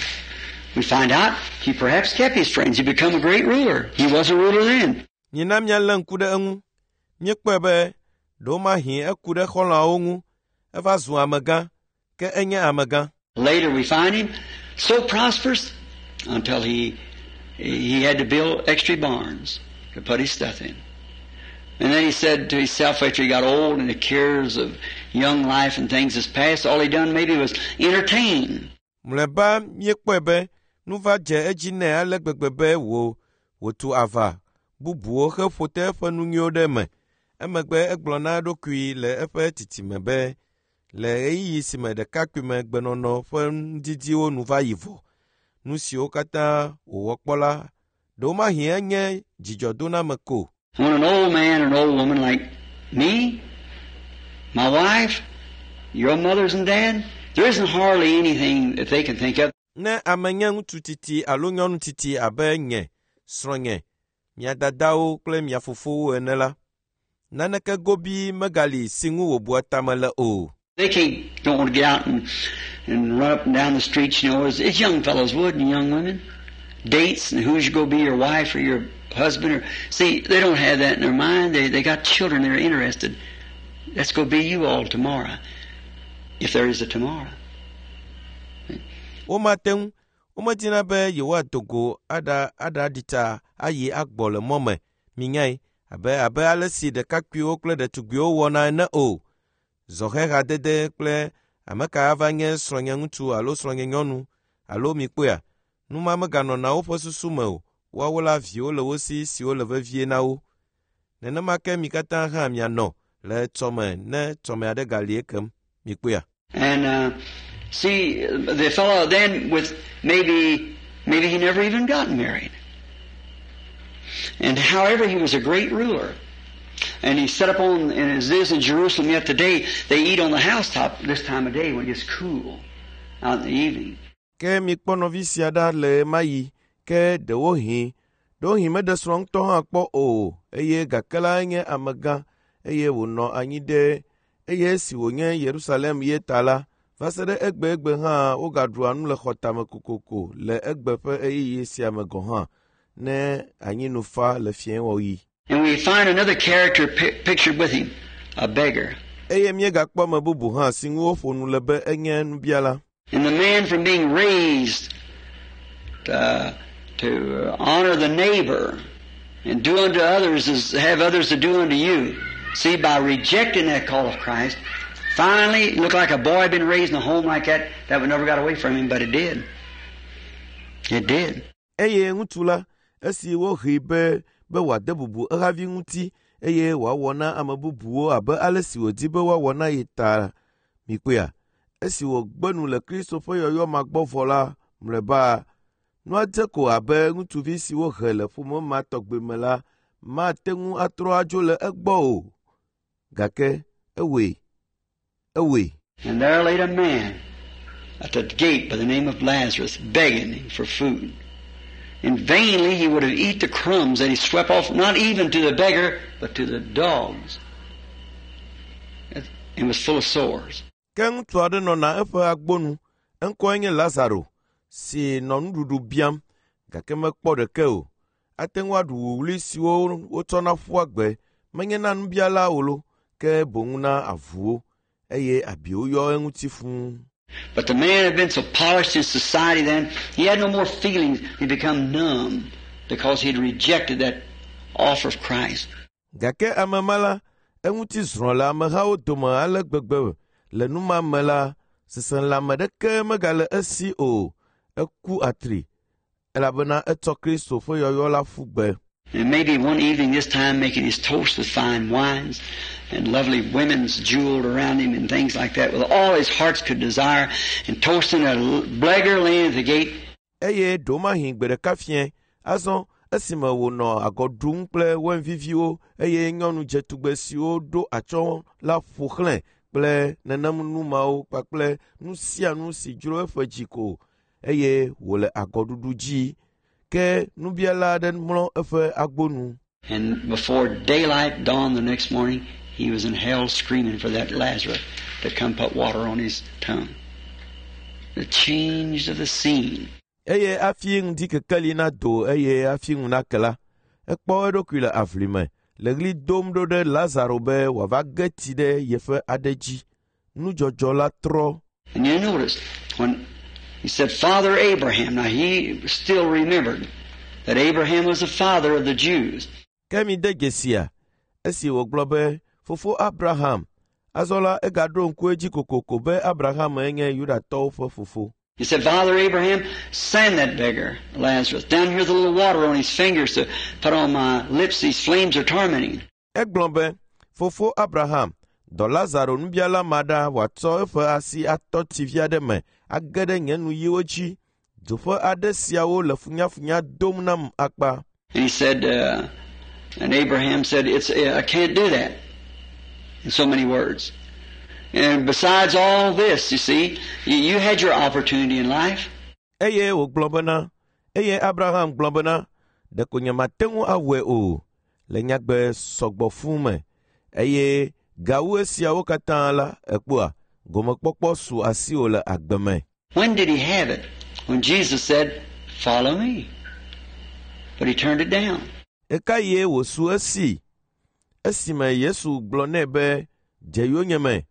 We find out he perhaps kept his friends. He become a great ruler. He was a ruler then. Mina míalé ŋku ɖe eŋu. Míekpɔe be ɖewomahi eku ɖe xɔlɔ̃awo ŋu. Eva zu amegã, ke enye amegã. Later we find him so prosperous until he had to build extra barns to put his stuff in. And then he said to himself after he got old and the cares of young life and things has passed, all he done maybe was entertain. Mlɔeba míekpɔe be nu va dze edzi nɛ ale gbegbe be wò wòtu ava bubuwo heƒo te eƒe nu nyuiwo ɖe eme. Emegbe egblɔ na eɖokui le eƒe tsitsime be le ɣeyiɣi si me ɖekakpuime gbenɔnɔ ƒe nudidiwo nu va yi vɔ, nu siwo katã wòwɔ kpɔ la, ɖewomahi enye dzidzɔdoname ko. When an old man or an old woman like me, my wife, your mothers and dad, there isn't hardly anything that they can think of. Ne ame nye ŋutsu tsitsi alo nyɔnu tsitsi abe nye, srɔ̃nye, mia dadawo kple mia fofowo ene la, naneke gobii megali si ŋu wòbua tame le o. They can't, don't want to get out and run up and down the streets, as young fellows would and young women. Dates and who's going to be your wife or your husband. Or see, they don't have that in their mind. They got children they're interested. That's going to be you all tomorrow, if there is a tomorrow. Womate ŋu, womedina be yewoado go aɖa aɖaɖi tsa ayi agbɔ le mɔ me, minyae, abe ale si ɖekakpuiwo kple ɖetugbiwo wɔna ene o. Zɔhɛhadede kple ame ka ava nye srɔ̃nye ŋutsu alo srɔ̃nye nyɔnu alo mikpɔea, nu ma meganɔna woƒe susu me o. Woawo la viwo le wo si siwo le vevie na wo. Nenema ke mi katã hã mianɔ le etsɔme ne tsɔme aɖe gali ekem. Mikpɔea. And see, the fellow then with maybe he never even got married. And however, he was a great ruler. And he set up on, and as it is in Jerusalem yet today, they eat on the housetop this time of day when it gets cool out in the evening. Ke mikpɔ nɔvi sia ɖa le ɣe ma ɣi, ke ɖewohĩ meɖe srɔ̃ ŋutɔ hã kpɔ o eye gake la enye amegã eye wònɔ anyi ɖe eye esi wònye Yerusalem ye ta la, va se ɖe egbegbe hã wogaɖua nu le xɔtame kokoko le egbe ƒe ɣeyiɣi sia me gɔ̃ hã ne anyinu fa le fiẽwɔɣi. And we find another character pictured with him, a beggar. Eye míegakpɔ ame bubu hã si ŋu woƒo nu le be enye nubiala. And the man from being raised to honor the neighbor and do unto others as have others to do unto you. See, by rejecting that call of Christ, finally, it looked like a boy had been raised in a home like that, that would never got away from him, but it did. It did. Eye ŋutsu la, esi wohee be wòade bubu ehavi ŋuti eye wòawɔ na ame bubuwo abe ale si wòdi be woawɔ na ye ta, mikpɔea, esi wògbe nu le Kristo ƒe yɔyɔ ma gbɔ vɔ la, mlɔeba, nua dze ko abe ŋutsuvi si wohe le ƒome ma tɔgbi me la mate ŋu atrɔ adzo le egbɔ o. Gake ewɔe. Ewɔe. And there laid a man at the gate by the name of Lazarus, begging him for food. And vainly he would have eat the crumbs that he swept off, not even to the beggar, but to the dogs. And was full of sores. Ke ŋutsu aɖe nɔna eƒe agbonu, eŋkɔe nye Lazaro, si nɔ nuɖuɖu biam, gake mekpɔ ɖeke o. Ate ŋu aɖu wuwlui siwo wotsɔna ƒua gbe, menye na nubiala o lo, ke boŋ na avuwo, eye abiwo yɔ eŋuti fũu. But the man had been so polished in society then, he had no more feelings. He'd become numb because he'd rejected that offer of Christ. Gake ame ma la, eŋuti zrɔ̃ le amehawo dome ale gbegbe le nu ma me la, seselãme ɖeke megale esi o. Eku atri, elabena etsɔ Kristo ƒe yɔyɔ la ƒu gbe. And maybe one evening this time making his toast with fine wines and lovely women's jeweled around him and things like that with all his hearts could desire and toasting a beggar laying at the gate. Eye ɖewomahi gbe ɖeka fiẽ, azɔ esime wònɔ agɔ ɖum kple wain viviwo eye nyɔnu dzetugbe siwo ɖo atsyɔ̃ la ƒo xlãe kple nenem nu mawo kpakple nu sia nu si dzro eƒe dzi ko eye wòle agɔɖuɖu dzi. Ke nubiala aɖe mlɔ eƒe agbonu. And before daylight dawned the next morning, he was in hell screaming for that Lazarus to come put water on his tongue. The change of the scene. Eye hafi ŋdi kekeli nado eye hafi ŋu nake la, ekpɔ eɖokui le aʋli me le ɣli dom ɖo ɖe Lazaro be wòava ge tsi ɖe yeƒe aɖe dzi. Nudzɔdzɔ la trɔ. And you notice when he said, Father Abraham, now he still remembered that Abraham was the father of the Jews. Ke mi de dzesia, esi wògblɔ be, Fofo Abraham, azɔ la egaɖo ŋku edzi kokoko be Abraham nye Yudatɔwo ƒe fofo. He said, Father Abraham, send that beggar, Lazarus, down here with a little water on his fingers to put on my lips. These flames are tormenting. Egblɔ be, Fofo Abraham, dɔ Lazaro nubiala ma ɖa wòatsɔ eƒe asi atɔ tsi vi aɖe me age ɖe nye nuyiwo dzi. Dzo ƒe aɖe siawo le funyafunya dom nam akpa. And he said, and Abraham said, I can't do that. In so many words. And besides all this, you see, you had your opportunity in life. Eye wògblɔ bena, eye Abraham gblɔ bena, ɖeko nyemate ŋu awɔe o, le nyagbe sɔgbɔ fũu me. Eye gawu esiawo katã la, ekpɔa, gomekpɔkpɔ su asiwò le agbe me. When did he have it? When Jesus said, Follow me. But he turned it down. Ɣekaɣie wòsu esi? Esime Yesu gblɔ nɛ be, dze yonyeme,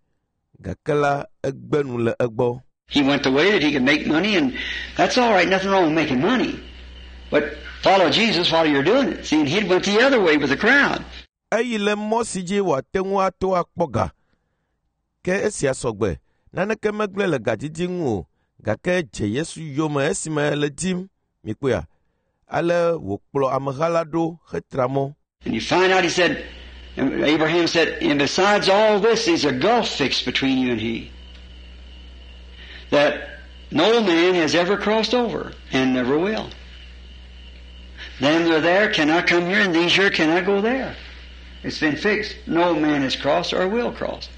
gake la egbe nu le egbɔ. He went the way that he could make money, and that's all right, nothing wrong with making money. But follow Jesus while you're doing it. See, and he went the other way with the crowd. Eyi le mɔ si dzi wòate ŋu ato akpɔ ga. Ke esia sɔgbe, naneke megblẽ le gadidi ŋu o, gake dze Yesu yome esime le dim, mikpɔea. Ale wòkplɔ ameha la ɖo hetra mɔ. And you find out, he said, and Abraham said, and besides all this, there's a gulf fixed between you and he, that no man has ever crossed over, and never will. Them that are there cannot come here, and these here cannot go there. It's been fixed. No man has crossed or will cross.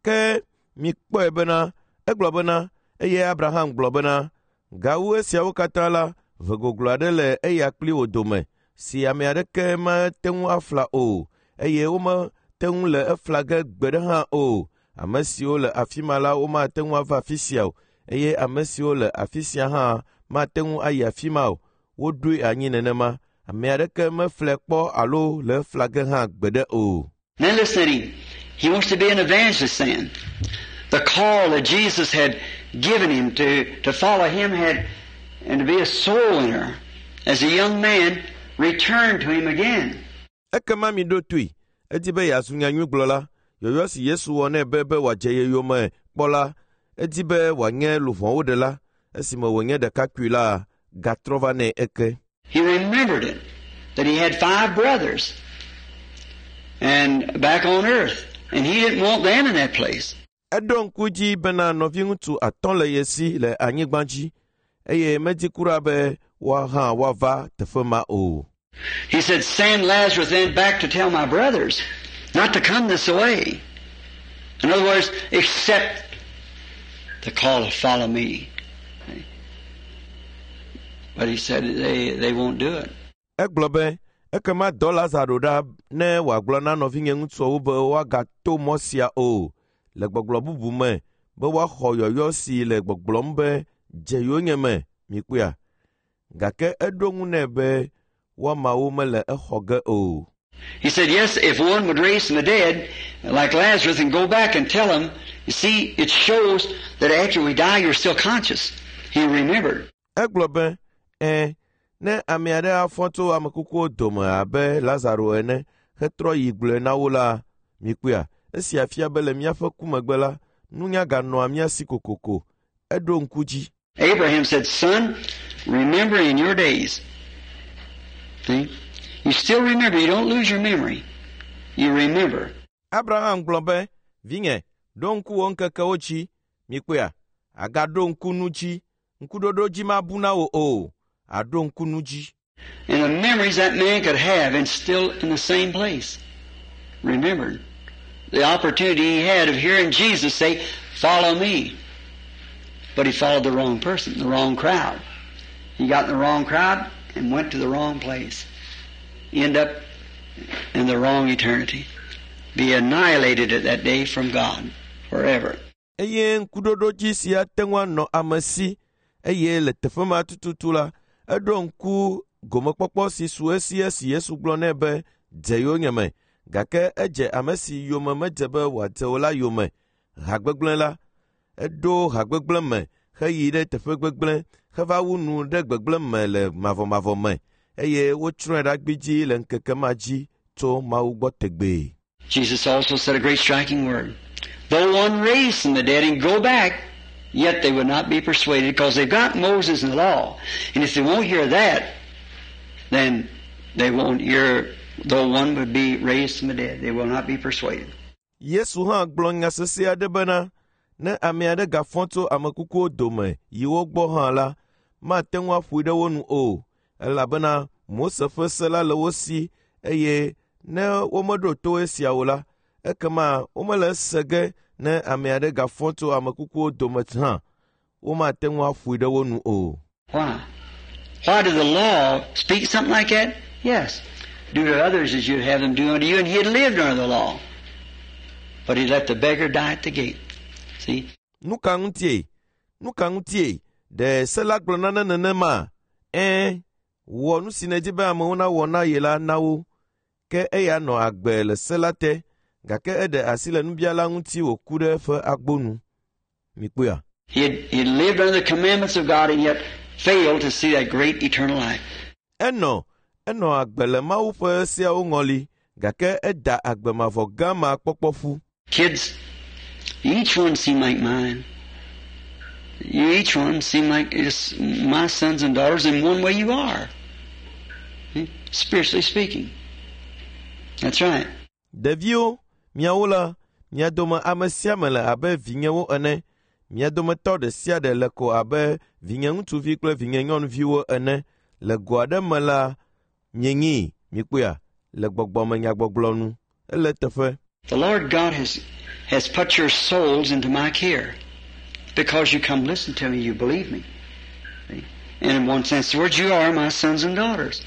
Ke mikpɔe bena, egblɔ bena, eye Abraham gblɔ bena, gawu esiawo katã la, ʋe goglo aɖe le eya kpli wò dome, si ame aɖeke mate ŋu afla o, eye womete ŋu le efla ge gbe ɖe hã o. Ame siwo le afi ma la womate ŋu ava afi sia o, eye ame siwo le afi sia hã mate ŋu ayi afi ma o. Woɖoe anyi nenema. Ame aɖeke meflɛ kpɔ alo le efla ge hã gbe ɖe o. Now listen to him. He wants to be an evangelist then. The call that Jesus had given him to follow him had, and to be a soul winner as a young man, returned to him again. Ekema mi ɖo toe. Edi be yeazu nyanyuigblɔla. Yɔyɔ si Yesu wɔ nɛ be wòadze ye yome kpɔ la, edi be wòanye luʋɔwo ɖela. Esime wònye ɖekakpui la, gatrɔ va nɛ eke. He remembered it, that he had 5 brothers and back on earth, and he didn't want them in that place. Eɖo ŋku dzi bena nɔviŋutsu atɔ̃ le ye si le anyigba dzi, eye medi kura be woa hã woava teƒe ma o. He said, send Lazarus then back to tell my brothers not to come this way. In other words, accept the call to follow me. But he said they won't do it. Egblɔ be, ekema dɔ Lazaro ɖa ne wòagblɔ na nɔvinye ŋutsuawo be woagato mɔ sia o, le gbɔgblɔ bubu me be woaxɔ yɔyɔ si le gbɔgblɔm be dze yonyeme, mikpɔea. Gake eɖo ŋu nɛ be woamawo mele exɔ ge o. He said, yes, if one would raise from the dead, like Lazarus, and go back and tell him, you see, it shows that after we die, you're still conscious. He remembered. Egblɔ be, ẽ, ne ame aɖe afɔ tso ame kukuwo dome abe Lazaro ene hetrɔ yi gblɔe na wo la, mikpɔea, esia fia be le míaƒe ku megbe la, nunya ganɔa mía si kokoko. Eɖo ŋku dzi. Abraham said, son, remember in your days. See? You still remember. You don't lose your memory. You remember. Abraham gblɔ be, vinye, ɖo ŋku wò ŋkekewo dzi. Mikpɔea, agaɖo ŋku nu dzi. Ŋkuɖoɖo dzi mabu na wò o. Aɖo ŋku nu dzi. And the memories that man could have and still in the same place. Remembered. The opportunity he had of hearing Jesus say, follow me. But he followed the wrong person, the wrong crowd. He got in the wrong crowd and went to the wrong place. End up in the wrong eternity. Be annihilated at that day from God forever. Eye ŋkuɖoɖo dzi si ate ŋu anɔ ame si eye le teƒe ma tututu la, eɖo ŋku gomekpɔkpɔ si su esi esi Yesu gblɔ nɛ be dze yonyeme gake edze ame si yome medze be wòadze o la yome. Ha gbegblẽ la, eɖo ha gbegblẽ me heyi ɖe teƒe gbegblẽ heva wu nu ɖe gbegblẽ me le mavɔmavɔ me eye wotsrɔ̃e ɖa gbidzi le ŋkeke ma dzi tso Mawu gbɔ tegbee. Jesus also said a great striking word. Though one raise from the dead and go back, yet they would not be persuaded because they've got Moses and the law. And if they won't hear that, then they won't hear, though one would be raised from the dead, they will not be persuaded. Yesu hã gblɔ nya sesẽ aɖe bena ne ame aɖe gafɔ tso ame kukuwo dome yi wo gbɔ hã la, mate ŋu aƒoe ɖe wo nu o, elabena Mose ƒe se la le wo si eye ne womeɖo to esia o la, ekema womele ese ge ne ame aɖe gafɔ tso ame kukuwo dome hã, womate ŋu aƒoe ɖe wo nu o. Why? Why did the law speak something like that? Yes. Do to others as you'd have them do unto you, and he had lived under the law. But he let the beggar die at the gate. See? Nu ka ŋutie? Nu ka ŋutie? Ɖe se la gblɔ nane nenema? Ɛ̃, wɔ nu si nèdi be amewo nawɔ na ye la na wo. Ke eya nɔ agbe le se la te, gake eɖe asi le nubiala ŋuti wòku ɖe eƒe agbo nu. Mikpɔea? He had lived under the commandments of God and yet failed to see that great eternal life. Enɔ enɔ agbe le Mawu ƒe seawo ŋɔli, gake eda agbe mavɔ gã ma kpɔkpɔ ƒu. Kids, each one seem like mine. You each one seem like it's my sons and daughters in one way you are. Spiritually speaking. That's right. Ɖeviwo, miawo la, mia dome ame sia ame le abe vinyewo ene. Mia dometɔ ɖe sia ɖe le ko abe vinye ŋutsuvi kple vinye nyɔnuviwo ene. Le go aɖe me la, mienyi, mikpɔea, le gbɔgbɔme nyagbɔgblɔ nu. Ele teƒe. The Lord God has put your souls into my care. Because you come listen to me, you believe me. See? And in one sense, the words, you are my sons and daughters.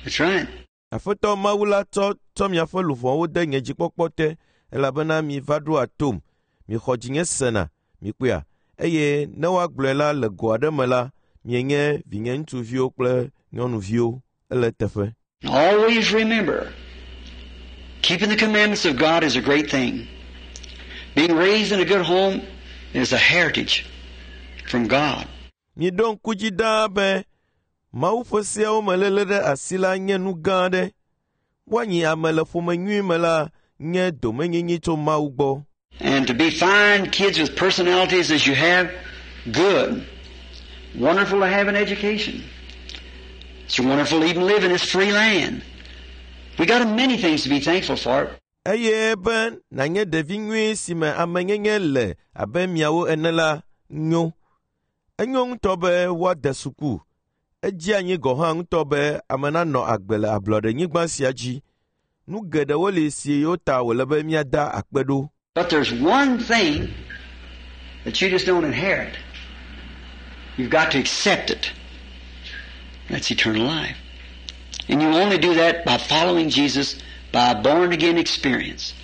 That's right. Aƒetɔ Mawu la tsɔ tsɔ miaƒe luʋɔwo de nye dzikpɔkpɔ te elabena mi va ɖoa tom. Mixɔ dzinye sena, mikpɔea. Eye ne woagblɔe la le go aɖe me la, mienye vinye ŋutsuviwo kple nyɔnuviwo. Ele teƒe. Always remember, keeping the commandments of God is a great thing. Being raised in a good home is a heritage from God. Miɖo ŋku dzi ɖaa be Mawu ƒe seawo me léle ɖe asi la nye nu gã aɖe. Woanyi ame le ƒome nyui me la nye domenyinyi tso Mawu gbɔ. And to be fine kids with personalities as you have, good. Wonderful to have an education. It's wonderful to even live in this free land. We got many things to be thankful for. Eye be nànye ɖevi nyui si me amenyenye le abe miawo ene la nyo. Enyo ŋutɔ be woade suku. Edzi anyi gɔ̃ hã ŋutɔ be ame nanɔ agbe le ablɔɖenyigba sia dzi. Nu geɖewo li siwo ta wòle be míada akpe ɖo. But there's one thing that you just don't inherit. You've got to accept it. That's eternal life. And you only do that by following Jesus by a born again experience.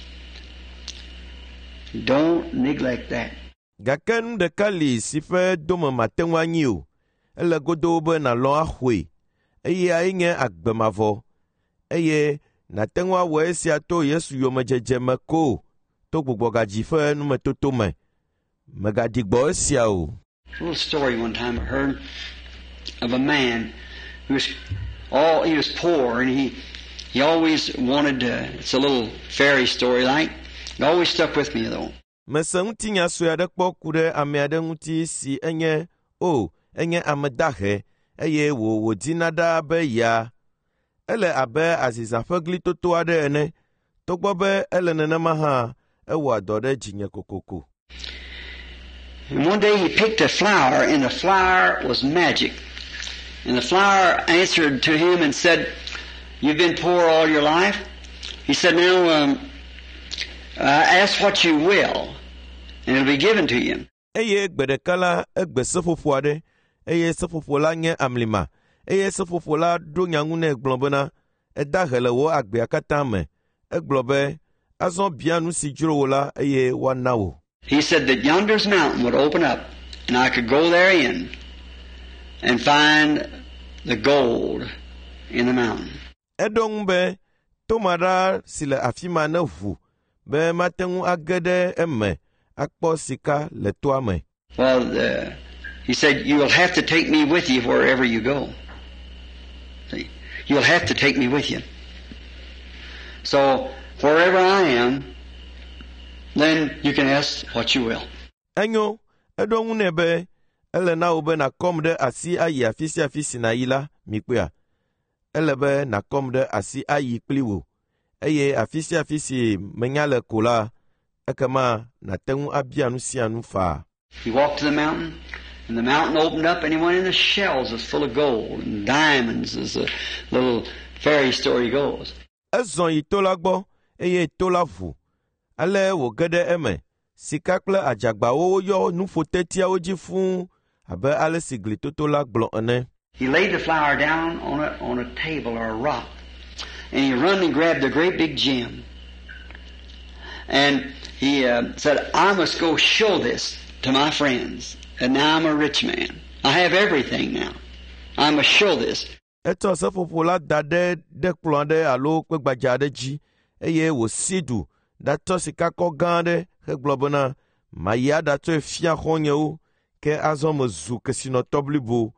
Don't neglect that. Gake nu ɖeka li si ƒe dome mate ŋu anyi o. Ele godoo be nàlɔ̃ axɔe. Eyae nye agbe mavɔ. Eye nàte ŋu awɔ esia to Yesu yomedzedze me ko to gbugbɔgadzi ƒe numetoto me. Mègaɖi gbɔ esia o. A little story one time I heard of a man who was all he was poor and he always wanted to, it's a little fairy story like. It always stuck with me though. Mese ŋutinya sue aɖe kpɔ ku ɖe ame aɖe ŋuti si enye o enye ame dahe eye wò wòdina ɖaa be ya. Ele abe azizã ƒe glitoto aɖe ene. Togbɔ be ele nenema hã, ewɔa dɔ ɖe dzinye kokoko. And one day he picked a flower, and the flower was magic. And the flower answered to him and said, "You've been poor all your life." He said, "Now ask what you will, and it'll be given to you." Eye gbe ɖeka la egbe seƒoƒo aɖe eye seƒoƒo la nye amlima eye seƒoƒo la ɖo nya ŋu nɛ gblɔ bena edahe le wò agbea katã me. Egblɔ be azɔ bia nu si dzro wò la eye woana wò. He said that yonder's mountain would open up, and I could go therein and find the gold in the mountain. Eɖo ŋu be toma ɖa si le afi ma ne ʋu be mate ŋu age ɖe eme akpɔ sika le toa me. Well, he said, "You will have to take me with you wherever you go. See? You'll have to take me with you. So, wherever I am, then you can ask what you will." Enyo, eɖo ŋu nɛ be ele na wò be nàkɔm ɖe asi ayi afi sia afi si nàyi la, mikpɔea. Ele be nàkɔm ɖe asi ayi kpli wò eye afi sia afi si menya le ko la, ekema nàte ŋu abia nu sia nu faa. He walked to the mountain, and the mountain opened up, and he went in the shells was full of gold and diamonds, as the little fairy story goes. Ezɔ yi to la gbɔ eye to la ʋu. Ale wòge ɖe eme. Sika kple adzagbawo yɔ nuƒotetiawo dzi fũu abe ale si glitoto la gblɔ ene. He laid the flower down on a table or a rock, and he run and grabbed a great big gem. And he said, "I must go show this to my friends. And now I'm a rich man. I have everything now. I must show this." Etsɔ seƒoƒo la da ɖe ɖe kplɔ̃ aɖe alo kpe gbadza aɖe dzi eye wòsi du ɖatsɔ sikakɔ gã aɖe hegblɔ bena mayi aɖatsɔe fia xɔ̃nyewo ke azɔ mezu kesinɔtɔ blibo.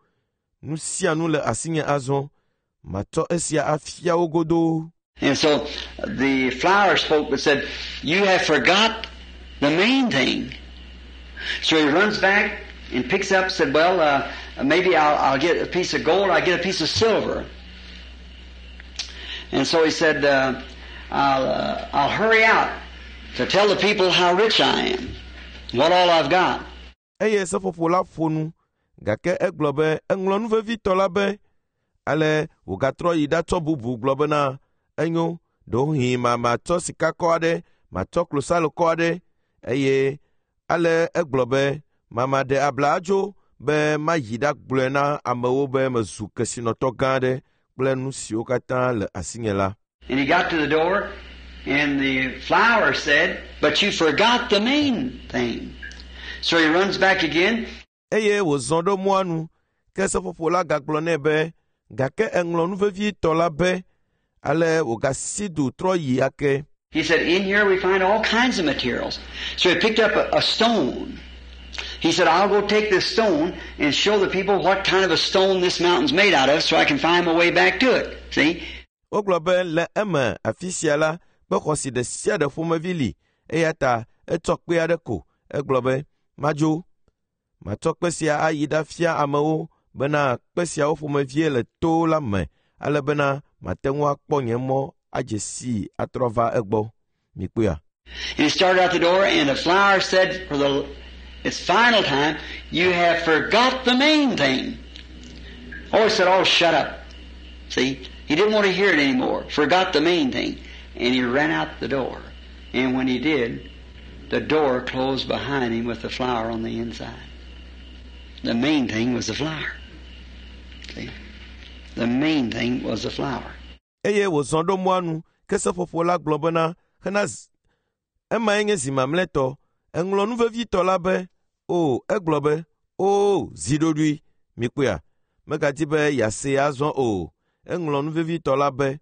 Nu sia nu le asinye azɔ. Matsɔ esia afia wo godoo. And so the flower spoke but said, "You have forgot the main thing." So he runs back and picks up, said, "Well, maybe I'll get a piece of gold, I'll get a piece of silver." And so he said, I'll hurry out to tell the people how rich I am, what all I've got." Eye seƒoƒo la ƒo nu gake egblɔ be eŋlɔ nu vevitɔ la be ale wògatrɔ yi ɖatsɔ bubu gblɔ bena enyo ɖewohĩ ma matsɔ sikakɔ aɖe matsɔ klosalokɔ aɖe eye ale egblɔ be mama ɖe abla adzo be mayi ɖagblɔe na amewo be mezu kesinɔtɔ gã aɖe kple nu siwo katã le asinye la. And he got to the door, and the flower said, "But you forgot the main thing." So he runs back again. Eye wòzɔ ɖo mɔa nu ke seƒoƒo la gagblɔ nɛ be gake eŋlɔ nu vevitɔ la be ale wògasi du trɔ yi ake. He said, "In here we find all kinds of materials." So he picked up a stone. He said, "I'll go take this stone and show the people what kind of a stone this mountain's made out of so I can find my way back to it." See? Wogblɔ be le eme afi sia la kpe xɔasi ɖe sia ɖe ƒomevi li eya ta etsɔ kpe aɖe ko egblɔ be madzo matsɔ kpe sia ayi ɖafia amewo bena kpe siawo ƒomevie le to la me ale bena mate ŋu akpɔ nye mɔ adze sii atrɔ va egbɔ. Mikpɔea. And he started out the door, and the flower said for the its final time, "You have forgot the main thing." Oh, he said, "Oh, shut up." See? He didn't want to hear it anymore. Forgot the main thing. And he ran out the door. And when he did, the door closed behind him with the flower on the inside. The main thing was the flower. See? The main thing was the flower. Eye wòzɔ ɖo mɔa nu ke seƒoƒo la gblɔ bena hena emae nye zi mamlɛtɔ. Eŋlɔ nu vevitɔ la be, o, egblɔ be, o, zi ɖoɖoe. Mikpɔea? Megadi be yeasee azɔ o. Eŋlɔ nu vevitɔ la be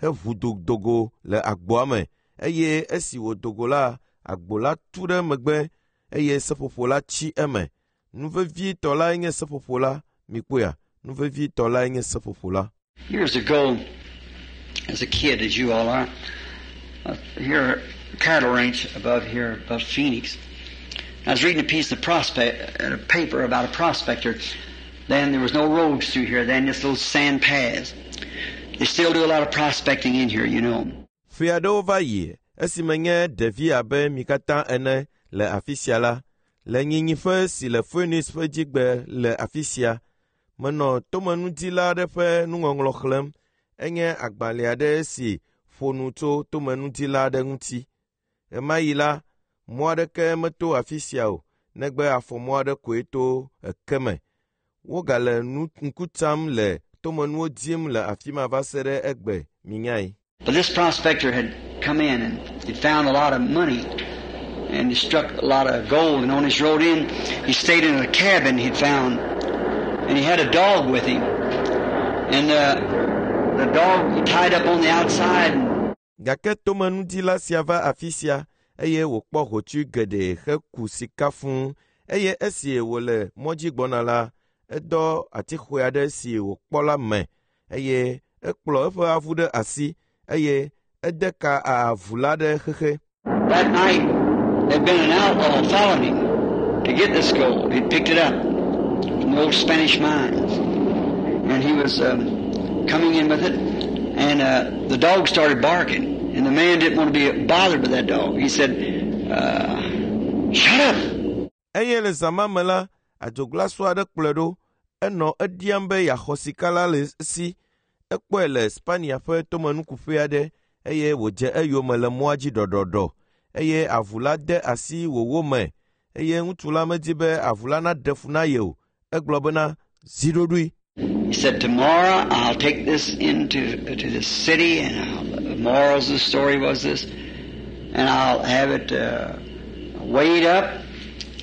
heʋu dogo le agboa me eye esi wòdo go la, agbo la tu ɖe megbe eye seƒoƒo la tsi eme. Nu vevitɔ lae nye seƒoƒo la. Mikpɔea? Nu vevitɔ lae nye seƒoƒo la. Years ago, as a kid, as you all are, here, cattle ranch above here, above Phoenix. I was reading a piece of prospect, a paper about a prospector. Then there was no roads through here. Then just little sand paths. They still do a lot of prospecting in here, you know. Ƒe aɖewo va yi esime nye ɖevi abe mi katã ene le afi sia la, le nyinyiƒe si le Phoenix ƒe dzigbe le afi sia, menɔ tomenudila aɖe ƒe nuŋɔŋlɔ xlẽm. Enye agbalẽ aɖe si ƒo nu tso tomenudila aɖe ŋuti. Ɣemaɣi la, mɔ aɖeke meto afi sia o, negbe afɔmɔ aɖe koe to eke me. Wogale nu ŋku tsam le tomenuwo dim le afi ma va se ɖe egbe, minyae. But this prospector had come in and he'd found a lot of money and he struck a lot of gold. And on his road in, he stayed in a cabin he'd found, and he had a dog with him. And the dog he tied up on the outside. And Gake tomenudila sia va afi sia eye wòkpɔ hotsui geɖe heku sika fũu eye esi wòle mɔ dzi gbɔna la, edɔ atixɔe aɖe si wòkpɔ la me eye ekplɔ eƒe avu ɖe asi eye ede ka avu la ɖe xexe. That night, there'd been an outlaw following him to get this gold. He'd picked it up from the old Spanish mines. And he was coming in with it, and the dog started barking. And the man didn't want to be bothered with that dog. He said, "Shut up!" Eye le zã ma me la, adzoglasu aɖe kplɔe ɖo. Enɔ ediam be yeaxɔ sika la le esi. Ekpɔe le Spania ƒe tomenukuƒe aɖe eye wòdze eyome le mɔa dzi ɖɔɖɔɖɔ eye avu la de asi wòwò me eye ŋutsu la medi be avu la naɖe fu na ye o. Egblɔ bena, zi ɖoɖoe. He said, "Tomorrow I'll take this into to the city," and the morals of the story was this, "and I'll have it weighed up,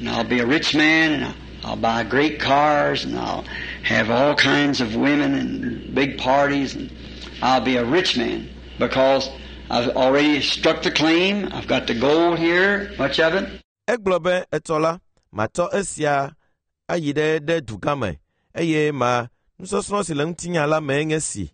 and I'll be a rich man, and I'll buy great cars, and I'll have all kinds of women and big parties, and I'll be a rich man because I've already struck the claim. I've got the gold here, much of it." Egblɔ be etsɔ la, matsɔ esia ayi ɖe dugã me eye ma nusɔsrɔ̃ si le ŋutinya la mee nye si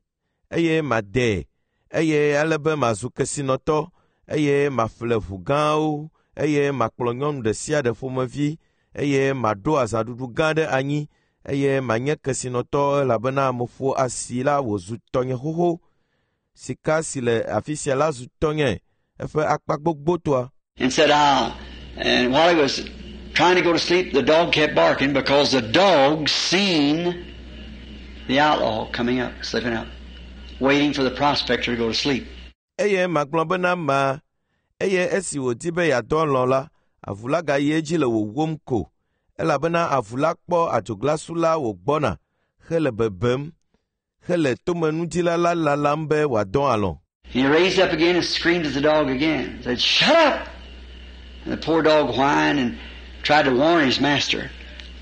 eye madee eye ale be mazu kesinɔtɔ eye maƒle ʋu gãwo eye makplɔ nyɔnu ɖe sia ɖe ƒomevi eye maɖo azãɖuɖu gã ɖe anyi eye manye kesinɔtɔ elabena meƒo asi la wòzu tɔnye xoxo. Sika si le afi sia la zu tɔnye eƒe akpa gbogbotoa. And said, "Ah," and while he was trying to go to sleep, the dog kept barking because the dog seen the outlaw coming up, slipping up, waiting for the prospector to go to sleep. Eye magblɔ bena ma eye esi wòdi be yeadɔ alɔ̃ la, avu la gayi edzi le wòwóm ko elabena avu la kpɔ adzoglasu la wògbɔna hele bebem hele tomenudila la lalam be wòadɔ alɔ̃. He raised up again and screamed at the dog again. Said, "Shut up!" And the poor dog whined and tried to warn his master.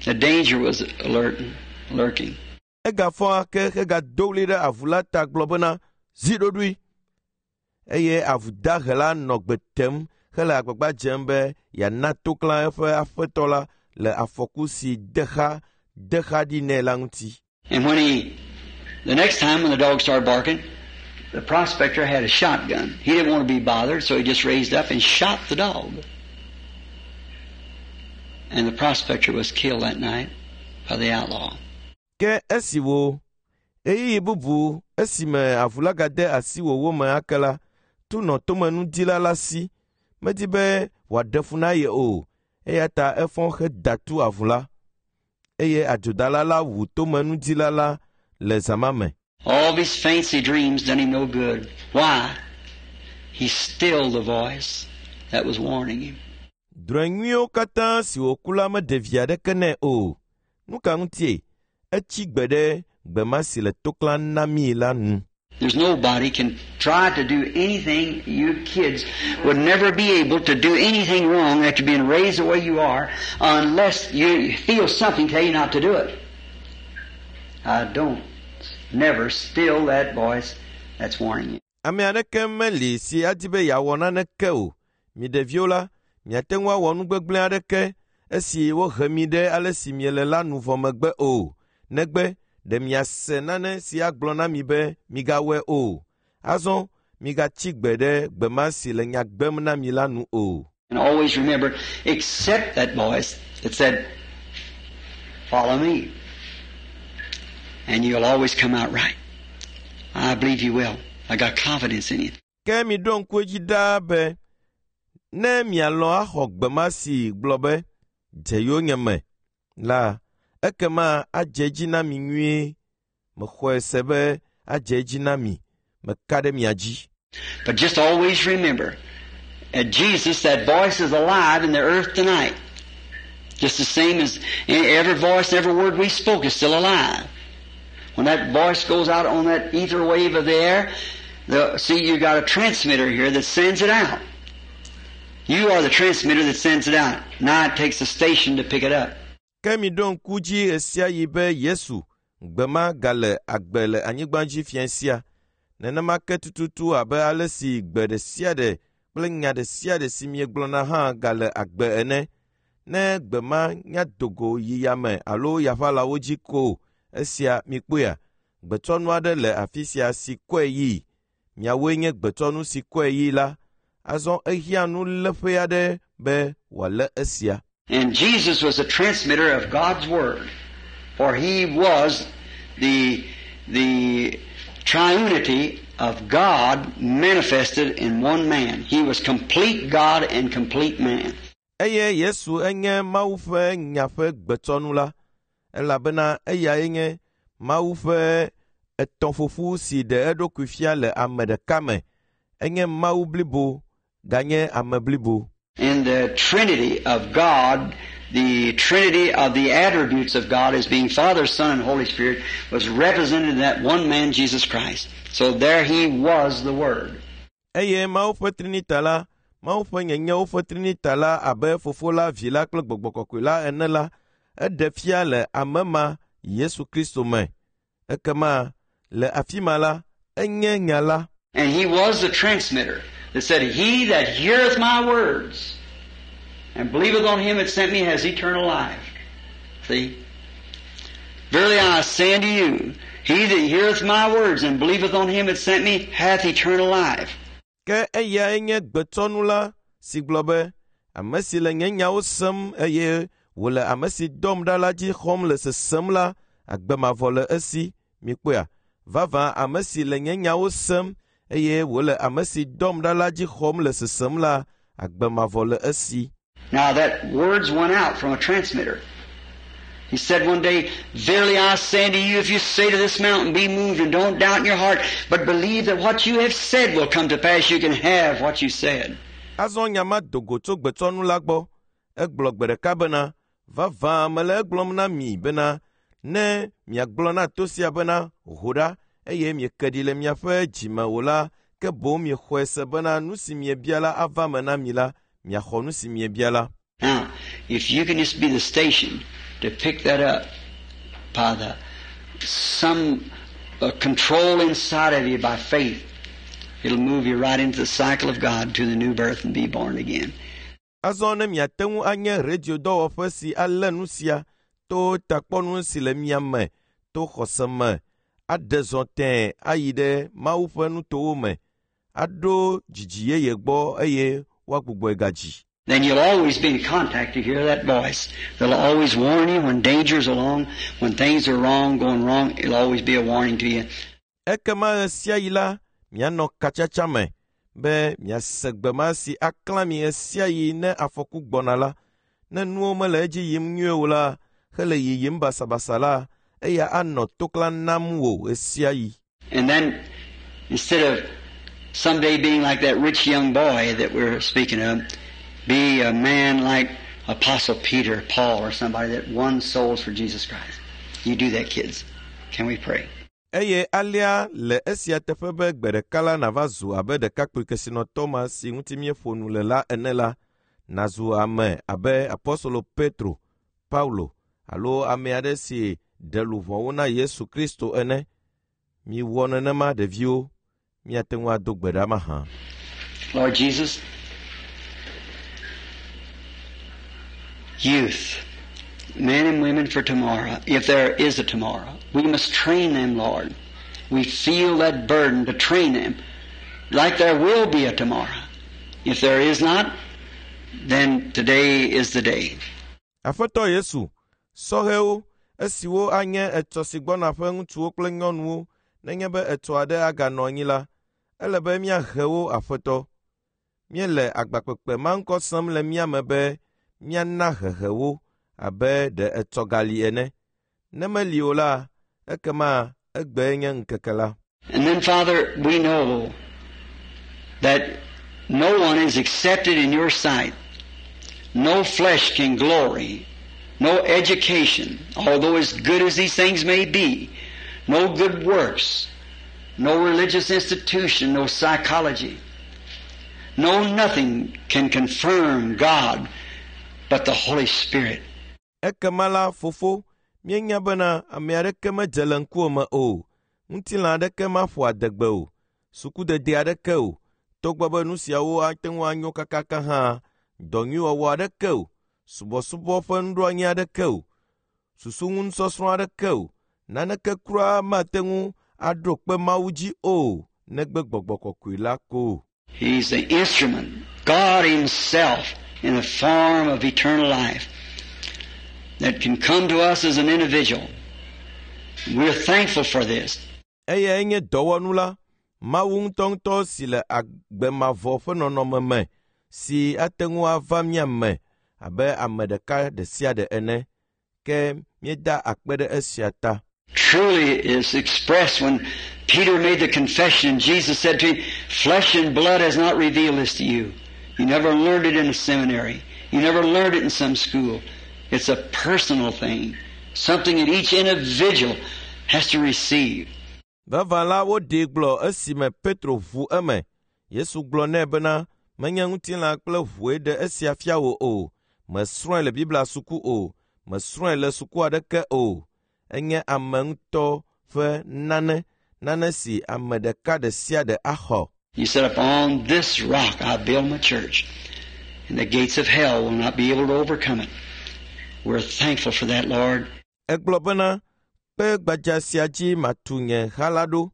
The danger was alerting, lurking. Egafɔ ake hegado ɣli ɖe avu la ta gblɔ bena, zi ɖoɖoe. Eye avu dahe la nɔ gbe tem hele agbagba dzem be yeana toklã eƒe aƒetɔ la le afɔku si de xa ɖi nɛ la ŋuti. And when the next time when the dog started barking, the prospector had a shotgun. He didn't want to be bothered, so he just raised up and shot the dog. And the prospector was killed that night by the outlaw. Ke esi wo ɣeyiɣi bubu esime avu la gade asi wòwò me ake la, tu nɔ tomenudila la si. Medi be wòaɖe fu na ye o, eya ta efɔ heda tu avu la. Eye adzodala la wu tomenudila la le zã ma me. All these fancy dreams done him no good. Why? He stilled the voice that was warning him. Drɔ̃e nyuiwo katã si wòku la meɖe vi aɖeke nɛ o. Nu ka ŋutie? Etsi gbe ɖe gbe ma si le to klãm na mí la nu. There's nobody can try to do anything. You kids would never be able to do anything wrong after being raised the way you are unless you feel something tell you not to do it. I don't never still that voice that's warning you. Ame aɖeke meli si adi be yeawɔ naneke o. Mi ɖeviwo la, miate ŋu awɔ nu gbegblẽ aɖeke esi wohe mi ɖe ale si miele la nu vɔ megbe o. Negbe ɖe miase nane si agblɔ na mi be migawɔe o. Azɔ migatsi gbe ɖe gbe ma si le nya gbem na mi la nu o. And always remember, except that voice that said, Follow me. And you'll always come out right. I believe you will. I got confidence in you. Ke miɖo ŋku edzi ɖaa be ne mialɔ̃ axɔ gbe ma si gblɔ be dze yonyeme la, ekema adze edzi na mi nyuie. Mexɔe se be adze edzi na mi. Meka ɖe mia dzi. But just always remember, at Jesus, that voice is alive in the earth tonight. Just the same as every voice, every word we spoke is still alive. When that voice goes out on that ether wave of the air, see, you got a transmitter here that sends it out. You are the transmitter that sends it out. Now it takes a station to pick it up. Ke miɖo ŋku dzi ɣe be Yesu gbe ma gale agbe le anyigba dzi fia sia. Nenema ke tututu abe ale si gbe ɖe sia ɖe kple nya ɖe sia ɖe si miegblɔna hã gale agbe ene. Ne gbe ma nya do go yi yame alo yaʋalawo dzi ko esia mikpɔea, gbetsɔnu aɖe le afi sia si kɔe yii. Miawoe nye gbetsɔnu si kɔe yii la. Azɔ ehiã nuléƒe aɖe be wòalé esia. And Jesus was a transmitter of God's Word, for He was the triunity of God manifested in one man. He was complete God and complete man. Eye Yesu enye Mawu ƒe nya ƒe gbetsɔnu la, elabena eyae nye Mawu ƒe etɔ̃ƒoƒu si ɖe eɖokui fia le ame ɖeka me. Enye Mawu blibo ganye ame blibo. In the Trinity of God, the Trinity of the attributes of God as being Father, Son, and Holy Spirit was represented in that one man, Jesus Christ. So there He was the Word. Eye Mawu ƒe Trinita la, Mawu ƒe nyenyewo ƒe Trinita la abe Fofo la, Vi la kple Gbɔgbɔ Kɔkɔe la ene la, eɖe fia le ame ma Yesu Kristo me. Ekema le afi ma la, enye nya la. And He was the transmitter that said, He that heareth my words and believeth on him that sent me has eternal life. See? Verily I say unto you, he that heareth my words and believeth on him that sent me hath eternal life. Ke eyae nye gbetsɔnu la si gblɔ be, ame si le nye nyawo sem eye wòle ame si dɔm ɖa la dzi xɔm le sesem la, agbe mavɔ le esi. Mikpɔea? Vavã ame si le nye nyawo sem eye wòle ame si dɔm ɖa la dzi xɔm le sesem la, agbe mavɔ le esi. Now that words went out from a transmitter. He said one day, Verily I say unto you, if you say to this mountain, be moved, and don't doubt in your heart, but believe that what you have said will come to pass, you can have what you said. Azɔ nya ma do go tso gbetsɔnu la gbɔ. Egblɔ gbe ɖeka bena, vavã mele egblɔm na mi bena, ne miagblɔ na to sia bena, ho ɖa, eye mieke ɖi le miaƒe dzime o la, ke boŋ miexɔe se bena nu si miebia la ava me na mi la, miaxɔ nu si miebia la. Now, if you can just be the station to pick that up by the some control inside of you by faith, it'll move you right into the cycle of God to the new birth and be born again. Azɔ ne miate ŋu anye radio dɔwɔƒe si alé nu sia to takpɔnu si le mia me to xɔse me aɖe zɔ tẽe ayi ɖe Mawu ƒe nutowo me aɖo dzidzi yeye gbɔ eye woagbugbɔe gadzi. Then you'll always be in contact to hear that voice. They'll always warn you when danger's along, when things are wrong, going wrong, it'll always be a warning to you. Ekema ɣe sia ɣi la, mianɔ katsatsa me be miase gbe ma si aklã mi ɣe sia ɣi ne afɔku gbɔna la. Ne nuwo mele edzi yim nyuie o la, hele yiyim basabasa la, eya anɔ toklã nam wò ɣe sia ɣi. And then, instead of someday being like that rich young boy that we're speaking of, be a man like Apostle Peter, Paul, or somebody that won souls for Jesus Christ. You do that, kids. Can we pray? Eye alea le esia teƒe be gbe ɖeka la nàva zu abe ɖekakpui kesinɔtɔ ma si ŋuti míeƒo nu le la ene la, nàzu ame abe apɔstolo Petro, Paulo alo ame aɖe si ɖe luʋɔwo na Yesu Kristo ene. Miwɔ nenema ɖeviwo, míate ŋu ado gbe ɖa mahã. Lord Jesus, youth, men and women for tomorrow, if there is a tomorrow, we must train them, Lord. We feel that burden to train them like there will be a tomorrow. If there is not, then today is the day. Aƒetɔ Yesu, sɔhɛwo, esiwo anye etsɔ si gbɔna ƒe ŋutsuwo kple nyɔnuwo nenye be etsɔ aɖe aganɔ anyi la, ele be míahe wo Aƒetɔ. Míele agbakpekpe ma ŋkɔ sem le mía me be míana hehe wo abe ɖe etsɔ gali ene. Ne meli o la, ekema egbee nye ŋkeke la. And then, Father, we know that no one is accepted in your sight. No flesh can glory. No education, although as good as these things may be. No good works. No religious institution, no psychology. No nothing can confirm God but the Holy Spirit. Ekema la, fofo, míenya bena ame aɖeke medze le ŋkuwò me o. Ŋutilã aɖeke maƒo adegbe o. Sukudede aɖeke o. Togbɔ be nu siawo ate ŋu anyo kakaka hã, dɔ nyui wɔwɔ aɖeke o. Subɔsubɔ ƒe nuɖoanyi aɖeke o. Susuŋunusɔsrɔ̃ aɖeke o. Naneke kura mate ŋu aɖo kpe Mawu dzi o, negbe gbɔgbɔ kɔkɔe la ko. He's the instrument, God Himself, in the form of eternal life, that can come to us as an individual. We're thankful for this. Eyae nye dɔwɔnu la, Mawu ŋutɔŋutɔ si le agbe mavɔ ƒe nɔnɔme me si ate ŋu ava mía me abe ame ɖeka ɖe sia ɖe ene. Ke míeda akpe ɖe esia ta. Truly is expressed when Peter made the confession. Jesus said to him, Flesh and blood has not revealed this to you. You never learned it in a seminary. You never learned it in some school. It's a personal thing, something that each individual has to receive. Vavã la woɖee gblɔ esime Petro ʋu eme. Yesu gblɔ nɛ bena menye ŋutilã kple ʋue ɖe esia fia wò o. Mesrɔ̃e le Biblia suku o. Mesrɔ̃e le suku aɖeke o. Enye ame ŋutɔ ƒe nane, nane si ame ɖeka ɖe sia ɖe axɔ. He said, Upon this rock I build my church, and the gates of hell will not be able to overcome it. We're thankful for that, Lord. Egblɔ bena kpe gbadza sia dzi matu nye ha la ɖo,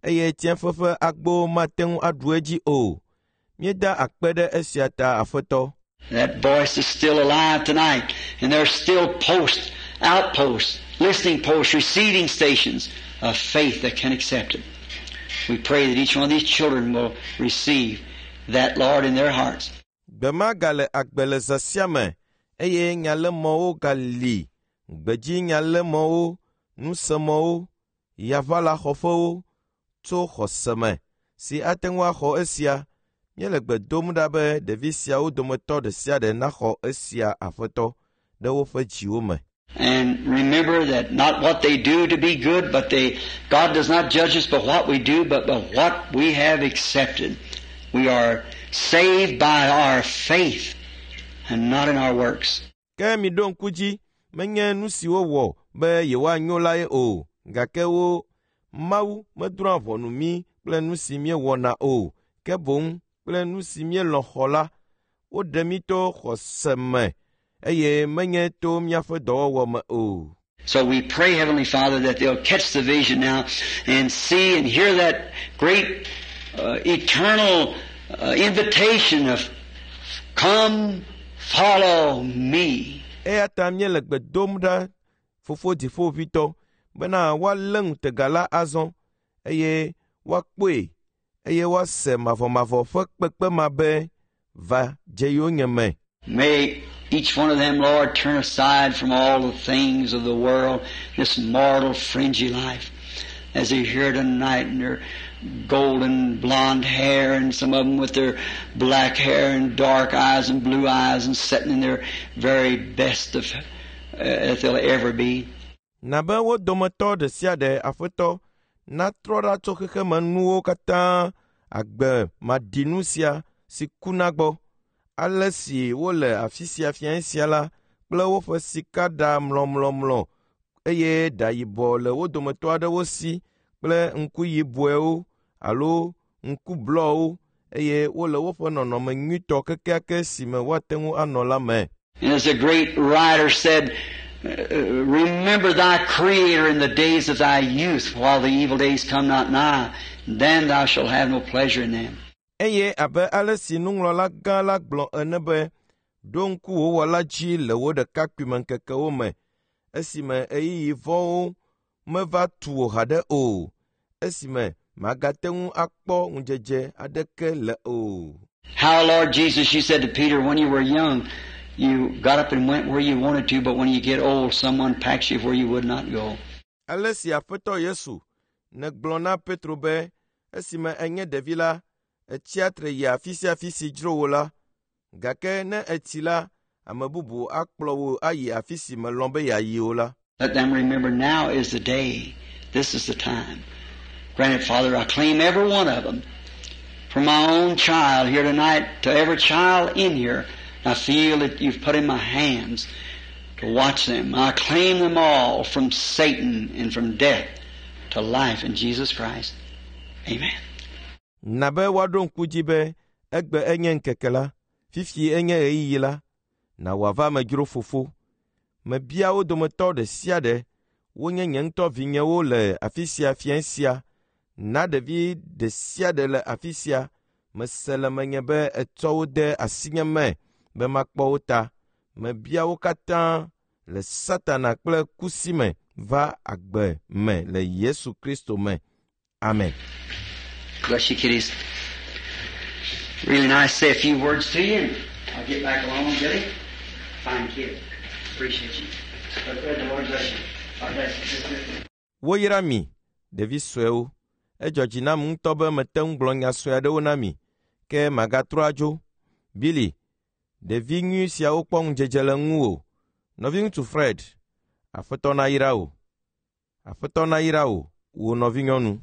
eye tsiẽƒe ƒe agbowo mate ŋu aɖu edzi o. Míeda akpe ɖe esia ta Aƒetɔ. That voice is still alive tonight, and there's still posts, outposts, listening posts, receiving stations of faith that can accept it. We pray that each one of these children will receive that, Lord, in their hearts. Gbe ma gale agbe le zã sia me eye nyalémɔwo gali, gbedzi nyalémɔwo, nusemɔwo, yaʋalaxɔƒewo tso xɔse me si ate ŋu axɔ esia. Míele gbe dom ɖa be ɖevi siawo dometɔ ɖe sia ɖe naxɔ esia Aƒetɔ ɖe woƒe dziwo me. And remember that not what they do to be good, but they, God does not judge us by what we do, but by what we have accepted. We are saved by our faith and not in our works. Ke miɖo ŋku dzi menye nu si wowɔ be yewoanyo lae o, gake wo Mawu medrɔ̃a ʋɔnu mí kple nu si míewɔna o, ke boŋ kple nu si míelɔ̃ xɔ la, woɖe mí to xɔse me eye menye to míaƒe dɔwɔwɔ me o. So we pray, Heavenly Father, that they'll catch the vision now and see and hear that great eternal invitation of come follow me. Eya ta míele gbe dom ɖa fofo dziƒoʋĩtɔ bena woalé ŋutega la azɔ eye woakpɔe eye woase mavɔmavɔ ƒe kpekpe ma be va dze yonyeme. May each one of them, Lord, turn aside from all the things of the world, this mortal, fringy life, as they hear tonight in their golden blonde hair, and some of them with their black hair and dark eyes and blue eyes, and sitting in their very best of that they'll ever be. Na be wo dometɔ ɖe sia ɖe Aƒetɔ natrɔ ɖa tso xexemenuwo katã agbe maɖinu sia si kuna gbɔ. Ale si wole afi sia fiẽ sia la kple woƒe sikaɖa mlɔmlɔmlɔ eye ɖa yibɔ le wo dometɔ aɖewo si kple ŋku yibɔewo alo ŋku blɔwo eye wole woƒe nɔnɔme nyuitɔ kekeake si me woate ŋu anɔ la me. And as a great writer said, remember thy Creator in the days of thy youth, while the evil days come not nigh, then thou shalt have no pleasure in them. Eye abe ale si nuŋlɔla gã la gblɔ ene be, ɖo ŋku wò wɔla dzi le wò ɖekakpuimeŋkekewo me, esime ɣeyiɣi vɔ̃wo meva tu wò haɖe o, esime màgate ŋu akpɔ ŋudzedze aɖeke le o. How, Lord Jesus, you said to Peter when you were young, you got up and went where you wanted to, but when you get old, someone packs you where you would not go. Ale si Aƒetɔ Yesu nègblɔ na Petro be esime enye ɖevi la, etsia tre yi afi sia afi si dzro wò la, gake ne etsi la, ame bubu akplɔ wò ayi afi si mèlɔ̃ be yeayi o la. Let them remember now is the day. This is the time. Grant it, Father, I claim every one of them. From my own child here tonight to every child in here, I feel that you've put in my hands to watch them. I claim them all from Satan and from death to life in Jesus Christ. Amen. Na be woaɖo ŋku dzi be egbe enye ŋkeke la, fifi enye ɣeyiɣi la, na wòava me dzro fofo. Mebia wo dometɔ ɖe sia ɖe, wonye nye ŋutɔ vinyewo le afi sia fiẽ sia. Na ɖevi ɖe sia ɖe le afi sia, mese le menye be etsɔ wo de asinye me be makpɔ wo ta. Mebia wo katã le Satana kple kusi me va agbe me le Yesu Kristo me. Amen. Bless you, kiddies. Really nice to say a few words to you, and I'll get back along, Billy. Fine kid. Appreciate you. But the Lord bless you. God bless you. Woyra mi, ɖevi suewo. Edzɔ dzi nam ŋutɔ be mete ŋu gblɔ nya sue aɖewo na mi, ke magatrɔ adzo. Billy, ɖevi nyui siawo kpɔ ŋudzedze le ŋuwò. Nɔviŋutsu Fred, Aƒetɔ nayra wò. Aƒetɔ nayra wò, wò nɔvinyɔnu.